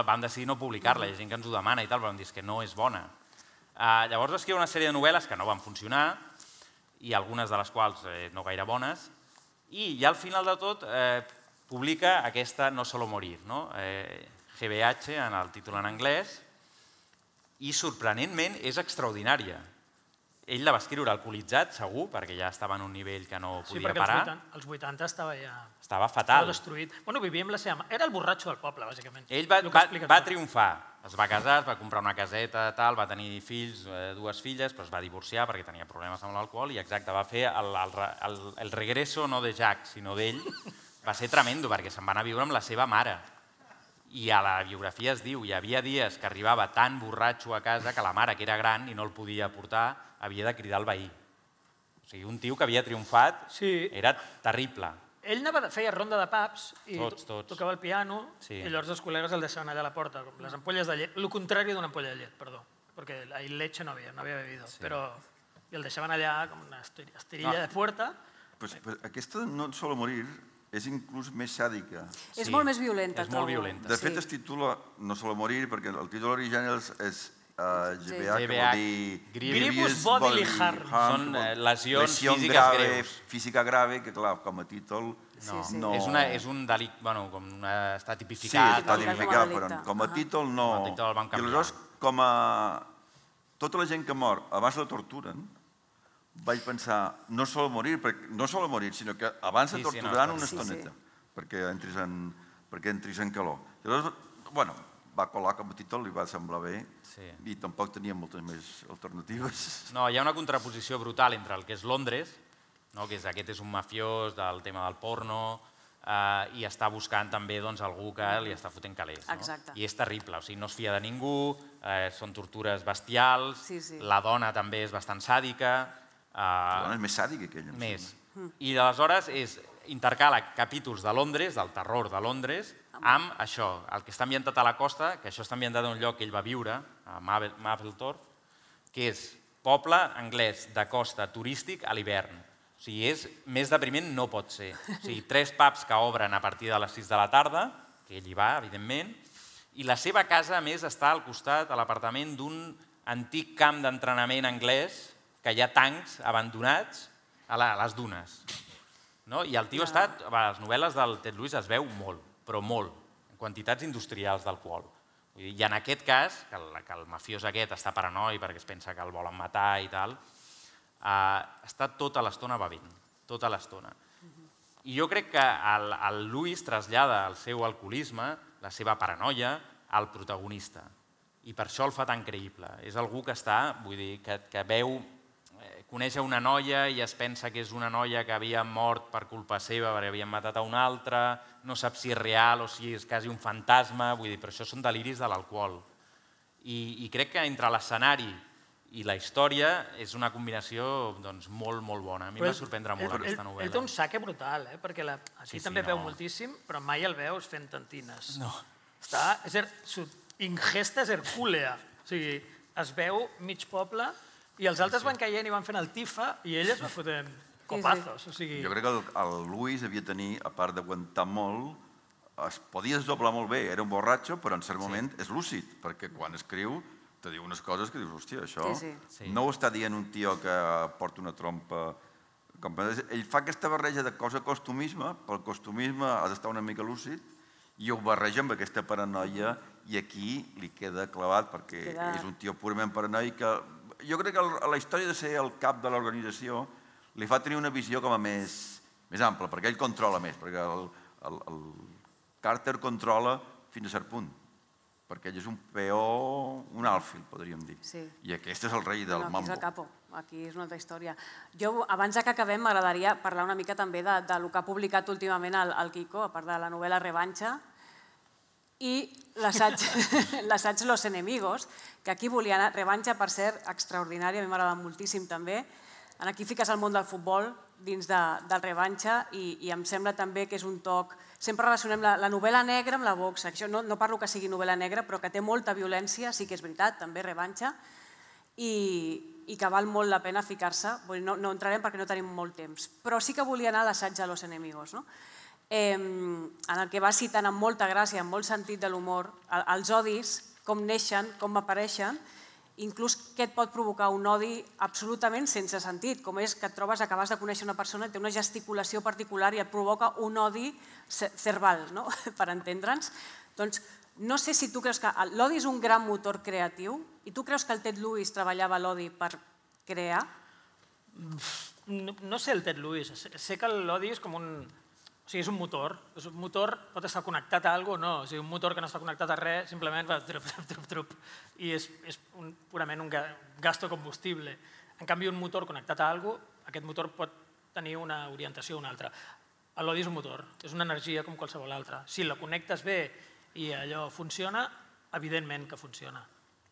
Vam decidir no publicar-la, hi ha gent que ens ho demana i tal, però vam dir que no és bona. Llavors va escriure una sèrie de novel·les que no van funcionar, i algunes de les quals no gaire bones, i ja al final de tot publica aquesta No solo morir, G B H en el títol en anglès, i sorprenentment és extraordinària. Ell la va escriure alcoholitzat, segur, perquè ja estava en un nivell que no podia parar. Sí, perquè als vuitanta estava ja... Estava fatal. Estava destruït. Bueno, vivia amb la seva... Era el borratxo del poble, bàsicament. Ell va triomfar. Es va casar, es va comprar una caseta, tal, va tenir fills, dues filles, però es va divorciar perquè tenia problemes amb l'alcohol i exacte, va fer el regreso no de Jack, sinó d'ell. Va ser tremendo perquè se'n va anar a viure amb la seva mare. I a la biografia es diu, hi havia dies que arribava tan borratxo a casa que la mare, que era gran i no el podia portar, havia de cridar al veí. O sigui, un tio que havia triomfat era terrible. Ell feia ronda de pubs i tocava el piano i llavors els col·legues el deixaven allà a la porta, com les ampolles de llet, el contrari d'una ampolla de llet, perdó, perquè ahí leche no havia, no havia bebido, però el deixaven allà com una estirilla de puerta. Aquesta No solo morir és inclús més sàdica. És molt més violenta. És molt violenta. De fet, es titula No solo morir perquè el títol original és G B H, que vol dir Grievous Bodily Harm. Són lesions físiques greus. Física grave, que clar, com a títol no... És un delicte, bueno, com està tipificat. Sí, està tipificat, però com a títol no... I aleshores, com a... Tota la gent que mor abans la torturen, vaig pensar, no solo morir, no solo morir, sinó que abans de torturar una estoneta, perquè entris en calor. Llavors, bueno, va colar com a títol, li va semblar bé i tampoc tenia moltes més alternatives. No, hi ha una contraposició brutal entre el que és Londres, que aquest és un mafiós del tema del porno i està buscant també algú que li està fotent calés. I és terrible, o sigui, no es fia de ningú, són tortures bestials, la dona també és bastant sàdica. La dona és més sàdica que ella. Més. I aleshores intercala capítols de Londres, del terror de Londres, amb això, el que està ambientat a la costa, que això està ambientat en un lloc que ell va viure, a Mablethorpe, que és poble anglès de costa turístic a l'hivern. O sigui, és més depriment no pot ser. O sigui, tres pubs que obren a partir de les sis de la tarda, que ell hi va, evidentment, i la seva casa, a més, està al costat, a l'apartament d'un antic camp d'entrenament anglès, que hi ha tancs abandonats a les dunes. I el tio ha estat, a les novel·les del Ted Lewis es veu molt, però molt, en quantitats industrials d'alcohol. I en aquest cas, que el mafiós aquest està paranoi perquè es pensa que el volen matar i tal, està tota l'estona bevent, tota l'estona. I jo crec que el Lewis trasllada el seu alcoholisme, la seva paranoia, al protagonista. I per això el fa tan creïble. És algú que està, vull dir, que veu, coneix una noia i es pensa que és una noia que havia mort per culpa seva perquè havien matat a una altra, no sap si és real o si és quasi un fantasma, vull dir, però això són deliris de l'alcohol. I crec que entre l'escenari i la història és una combinació molt, molt bona. A mi em va sorprendre molt aquesta novel·la. Ell té un saque brutal, perquè aquí també veu moltíssim, però mai el veus fent tantines. No. Su ingesta és hercúlea, o sigui, es veu mig poble i els altres van caient i van fent el tifa i ell es va fotent copazos. Jo crec que el Lewis havia de tenir, a part d'aguantar molt, es podia desdoblar molt bé, era un borratxo, però en cert moment és lúcid, perquè quan escriu te diu unes coses que dius, hòstia, això no ho està dient un tio que porta una trompa. Ell fa aquesta barreja de cosa costumisme, pel costumisme ha d'estar una mica lúcid, i ho barreja amb aquesta paranoia i aquí li queda clavat perquè és un tio purament paranoic. Jo crec que la història de ser el cap de l'organització li fa tenir una visió com a més ampla, perquè ell controla més, perquè el Carter controla fins a cert punt, perquè ell és un peó, un àlfil, podríem dir. I aquest és el rei del mambo. Aquí és el capo, aquí és una altra història. Jo, abans que acabem, m'agradaria parlar una mica també del que ha publicat últimament el Quico, a part de la novel·la Revanxa. i l'assaig Los Enemigos, que aquí volia anar, revanxa per ser extraordinària, a mi m'agrada moltíssim també. Aquí fiques el món del futbol dins del revanxa i em sembla també que és un toc... Sempre relacionem la novel·la negra amb la boxa. No parlo que sigui novel·la negra, però que té molta violència, sí que és veritat, també revanxa, i que val molt la pena ficar-se. No entrarem perquè no tenim molt temps, però sí que volia anar a l'assaig de Los Enemigos, en el que va citant amb molta gràcia, amb molt sentit de l'humor, els odis, com neixen, com apareixen, inclús què et pot provocar un odi absolutament sense sentit, com és que et trobes, acabes de conèixer una persona i té una gesticulació particular i et provoca un odi cerval, per entendre'ns. Doncs no sé si tu creus que l'odi és un gran motor creatiu i tu creus que el Ted Lewis treballava l'odi per crear? No sé el Ted Lewis, sé que l'odi és com un... O sigui, és un motor. Un motor pot estar connectat a alguna cosa o no. O sigui, un motor que no està connectat a res simplement va trup, trup, trup, trup, i és purament un gasto combustible. En canvi, un motor connectat a alguna cosa, aquest motor pot tenir una orientació o una altra. L'odi és un motor, és una energia com qualsevol altra. Si la connectes bé i allò funciona, evidentment que funciona.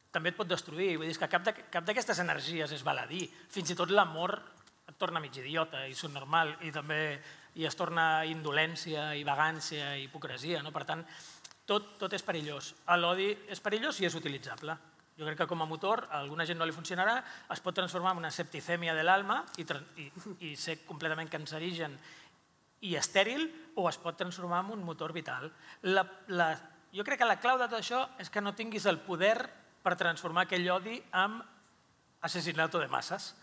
També et pot destruir, vull dir que cap d'aquestes energies és baladí. Fins i tot l'amor et torna mig idiota i subnormal i també i es torna indolència i vagància i hipocresia. Per tant, tot és perillós. L'odi és perillós i és utilitzable. Jo crec que com a motor a alguna gent no li funcionarà, es pot transformar en una septicèmia de l'alma i ser completament cancerigen i estèril, o es pot transformar en un motor vital. Jo crec que la clau de tot això és que no tinguis el poder per transformar aquell odi en assassinato de masses.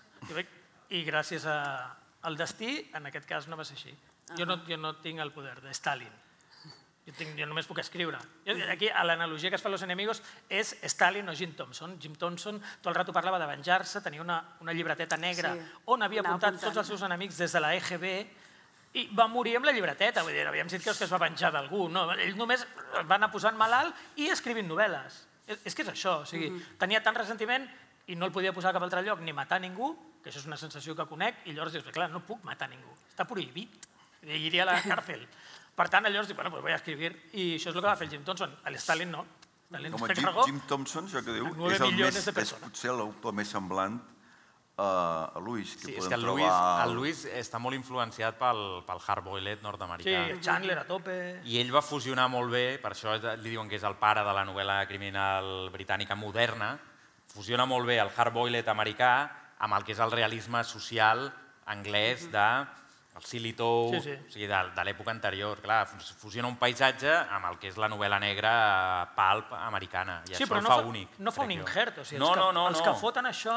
I gràcies al destí, en aquest cas no va ser així. Jo no tinc el poder de Stalin. Jo només puc escriure. Aquí l'analogia que es fa a Los Enemigos és Stalin o Jim Thompson. Jim Thompson tot el rato parlava de venjar-se, tenia una llibreteta negra on havia apuntat tots els seus enemics des de la E G B i va morir amb la llibreteta. Vull dir, havíem dit que es va venjar d'algú. Ell només va anar posant malalt i escrivint novel·les. És que és això. Tenia tant ressentiment i no el podia posar a cap altre lloc ni matar ningú, que això és una sensació que conec, i llavors dius, clar, no puc matar ningú, està prohibit, iria a la càrcel. Per tant, llavors dic, bueno, doncs vaig a escriure, i això és el que va fer el Jim Thompson. L'Stalin no. Jim Thompson, això que diu, és potser el més semblant a Lewis. Sí, és que el Lewis està molt influenciat pel hard-boiled nord-americà. Sí, Chandler a tope. I ell va fusionar molt bé, per això li diuen que és el pare de la novel·la criminal britànica moderna, fusiona molt bé el hard-boiled americà amb el que és el realisme social anglès del Silitow, de l'època anterior. Clar, fusiona un paisatge amb el que és la novel·la negra pulp americana, i això el fa únic. No fa un injert, els que foten això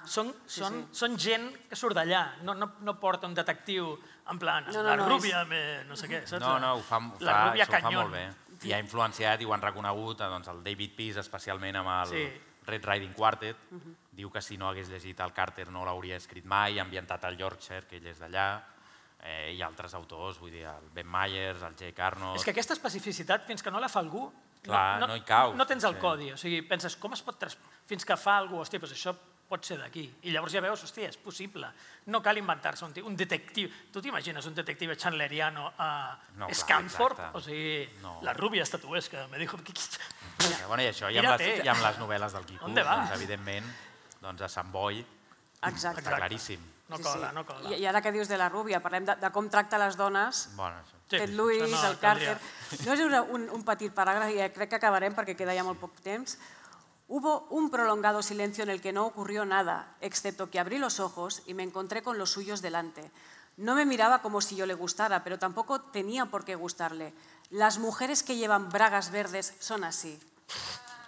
són gent que surt d'allà, no porta un detectiu en plan, la rúbia, no sé què, saps? No, no, ho fa molt bé. I ha influenciat i ho han reconegut el David Peace, especialment amb el Red Riding Quartet. Diu que si no hagués llegit el Carter no l'hauria escrit mai, ambientat al Yorkshire, que ell és d'allà, i altres autors, vull dir, el Ben Myers, el Jake Arnott... És que aquesta especificitat, fins que no la fa algú, no hi cau. No tens el codi, o sigui, penses, com es pot... Fins que fa algú, hosti, doncs això pot ser d'aquí. I llavors ja veus, hosti, és possible. No cal inventar-se un detectiu. Tu t'imagines un detectiu chandleriano a Scunthorpe? O sigui, la rúbia estatuesca, me dijo... Bueno, i això, i amb les novel·les del Quico, evidentment, a Sant Boi, claríssim. No cola, no cola. I ara que dius de la rúbia, parlem de com tracta les dones, Ted Lewis, el Carter... No és un petit paràgraf, i crec que acabarem perquè queda ja molt poc temps. Hubo un prolongado silencio en el que no ocurrió nada, excepto que abrí los ojos y me encontré con los suyos delante. No me miraba como si yo le gustara, pero tampoco tenía por qué gustarle. Las mujeres que llevan bragas verdes son así.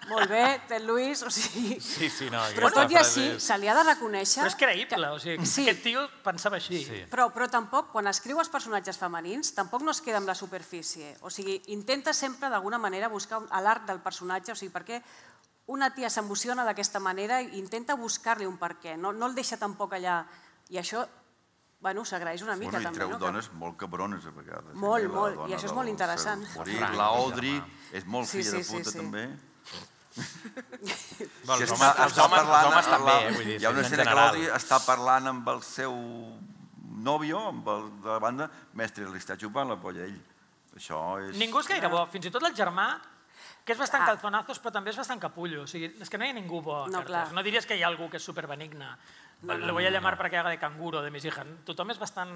Molt bé, Ted Lewis, o sigui... Sí, sí, no... Però tot i així, se li ha de reconèixer... Però és creïble, o sigui, aquest tio pensava així. Però tampoc, quan escriu els personatges femenins, tampoc no es queda amb la superfície. O sigui, intenta sempre, d'alguna manera, buscar l'arc del personatge, o sigui, per què una tia s'emociona d'aquesta manera i intenta buscar-li un per què, no el deixa tampoc allà. I això, bueno, s'agraeix una mica també. I treu dones molt cabrones a vegades. Molt, molt, i això és molt interessant. La Audrey és molt filla de puta també. Els homes també, vull dir, hi ha una escena que l'Audrey està parlant amb el seu nòvio, amb el de la banda, mestre, li està xupant la polla a ell. Això és... Ningú és gaire bo, fins i tot el germà Que és bastant calzonazos, però també és bastant capullo. O sigui, és que no hi ha ningú bo a Carter. No diries que hi ha algú que és superbenigne. Le voy a llamar para que haga de canguro de mis hijas. Tothom és bastant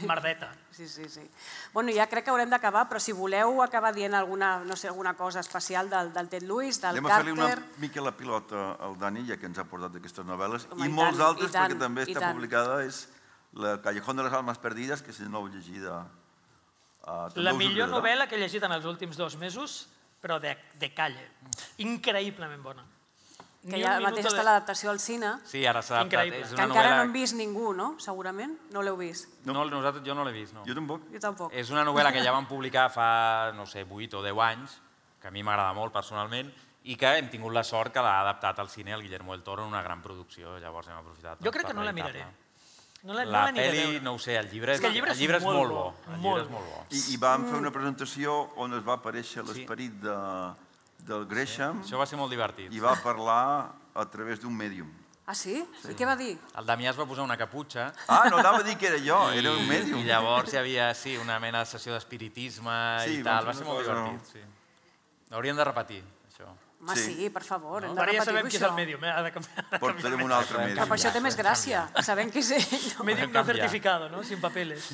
merdeta. Sí, sí, sí. Bueno, ja crec que haurem d'acabar, però si voleu acabar dient alguna, no sé, alguna cosa especial del, del Ted Lewis, del Carter... Anem a fer-li una mica la pilota al Dani, ja que ens ha portat aquestes novel·les, i molts altres, perquè també està publicada, és La Callejón de les Almas Perdides, que si no heu llegit... La millor novel·la que he llegit en els últims dos mesos, però de calle. Increïblement bona. Que ja mateix està l'adaptació al cine. Sí, ara s'ha adaptat. Que encara no hem vist ningú, no? Segurament? No l'heu vist? No, nosaltres jo no l'he vist, no. Jo tampoc. Jo tampoc. És una novel·la que ja vam publicar fa, no sé, vuit o deu anys, que a mi m'agrada molt personalment, i que hem tingut la sort que l'ha adaptat al cine el Guillermo del Toro en una gran producció, llavors hem aprofitat. Jo crec que no la miraré. La pel·li, no ho sé, el llibre és molt bo. I vam fer una presentació on es va aparèixer l'esperit de... del Gresham. Això va ser molt divertit. I va parlar a través d'un mèdium. Ah, sí? I què va dir? El Damià es va posar una caputxa. Ah, no anava a dir que era jo, era un mèdium. I llavors hi havia, sí, una mena de sessió d'espiritisme i tal. Va ser molt divertit, sí. Hauríem de repetir, això. Home, sí, per favor, hem de Ara ja repetir-ho, sabem qui és el això. mèdium, ha de canviar. Portarem un altre mèdium. Però per això té més gràcia, sabem que és ell. Mèdium no certificado, no? Sin papeles.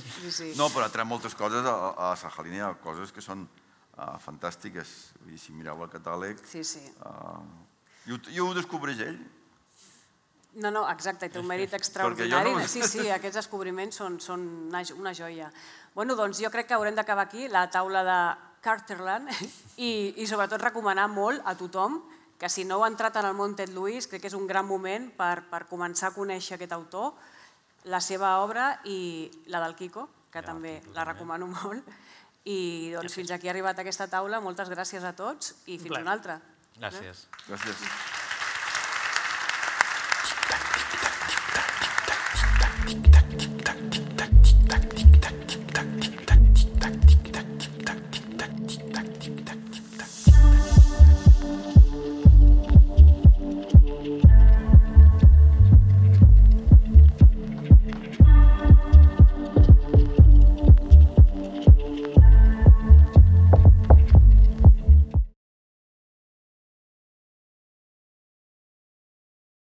No, però ha tret moltes coses a Sajalina, hi ha coses que són fantàstiques. Si mireu el catàleg... Sí, sí. I ho descobreix ell. No, no, exacte, té un mèrit extraordinari. Sí, sí, aquests descobriments són una joia. Bueno, doncs jo crec que haurem d'acabar aquí, la taula de Carterland, i sobretot recomanar molt a tothom que si no heu entrat en el món Ted Lewis, crec que és un gran moment per començar a conèixer aquest autor, la seva obra i la del Quico, que també la recomano molt. I fins aquí ha arribat aquesta taula. Moltes gràcies a tots i fins una altra. Gràcies. Gràcies.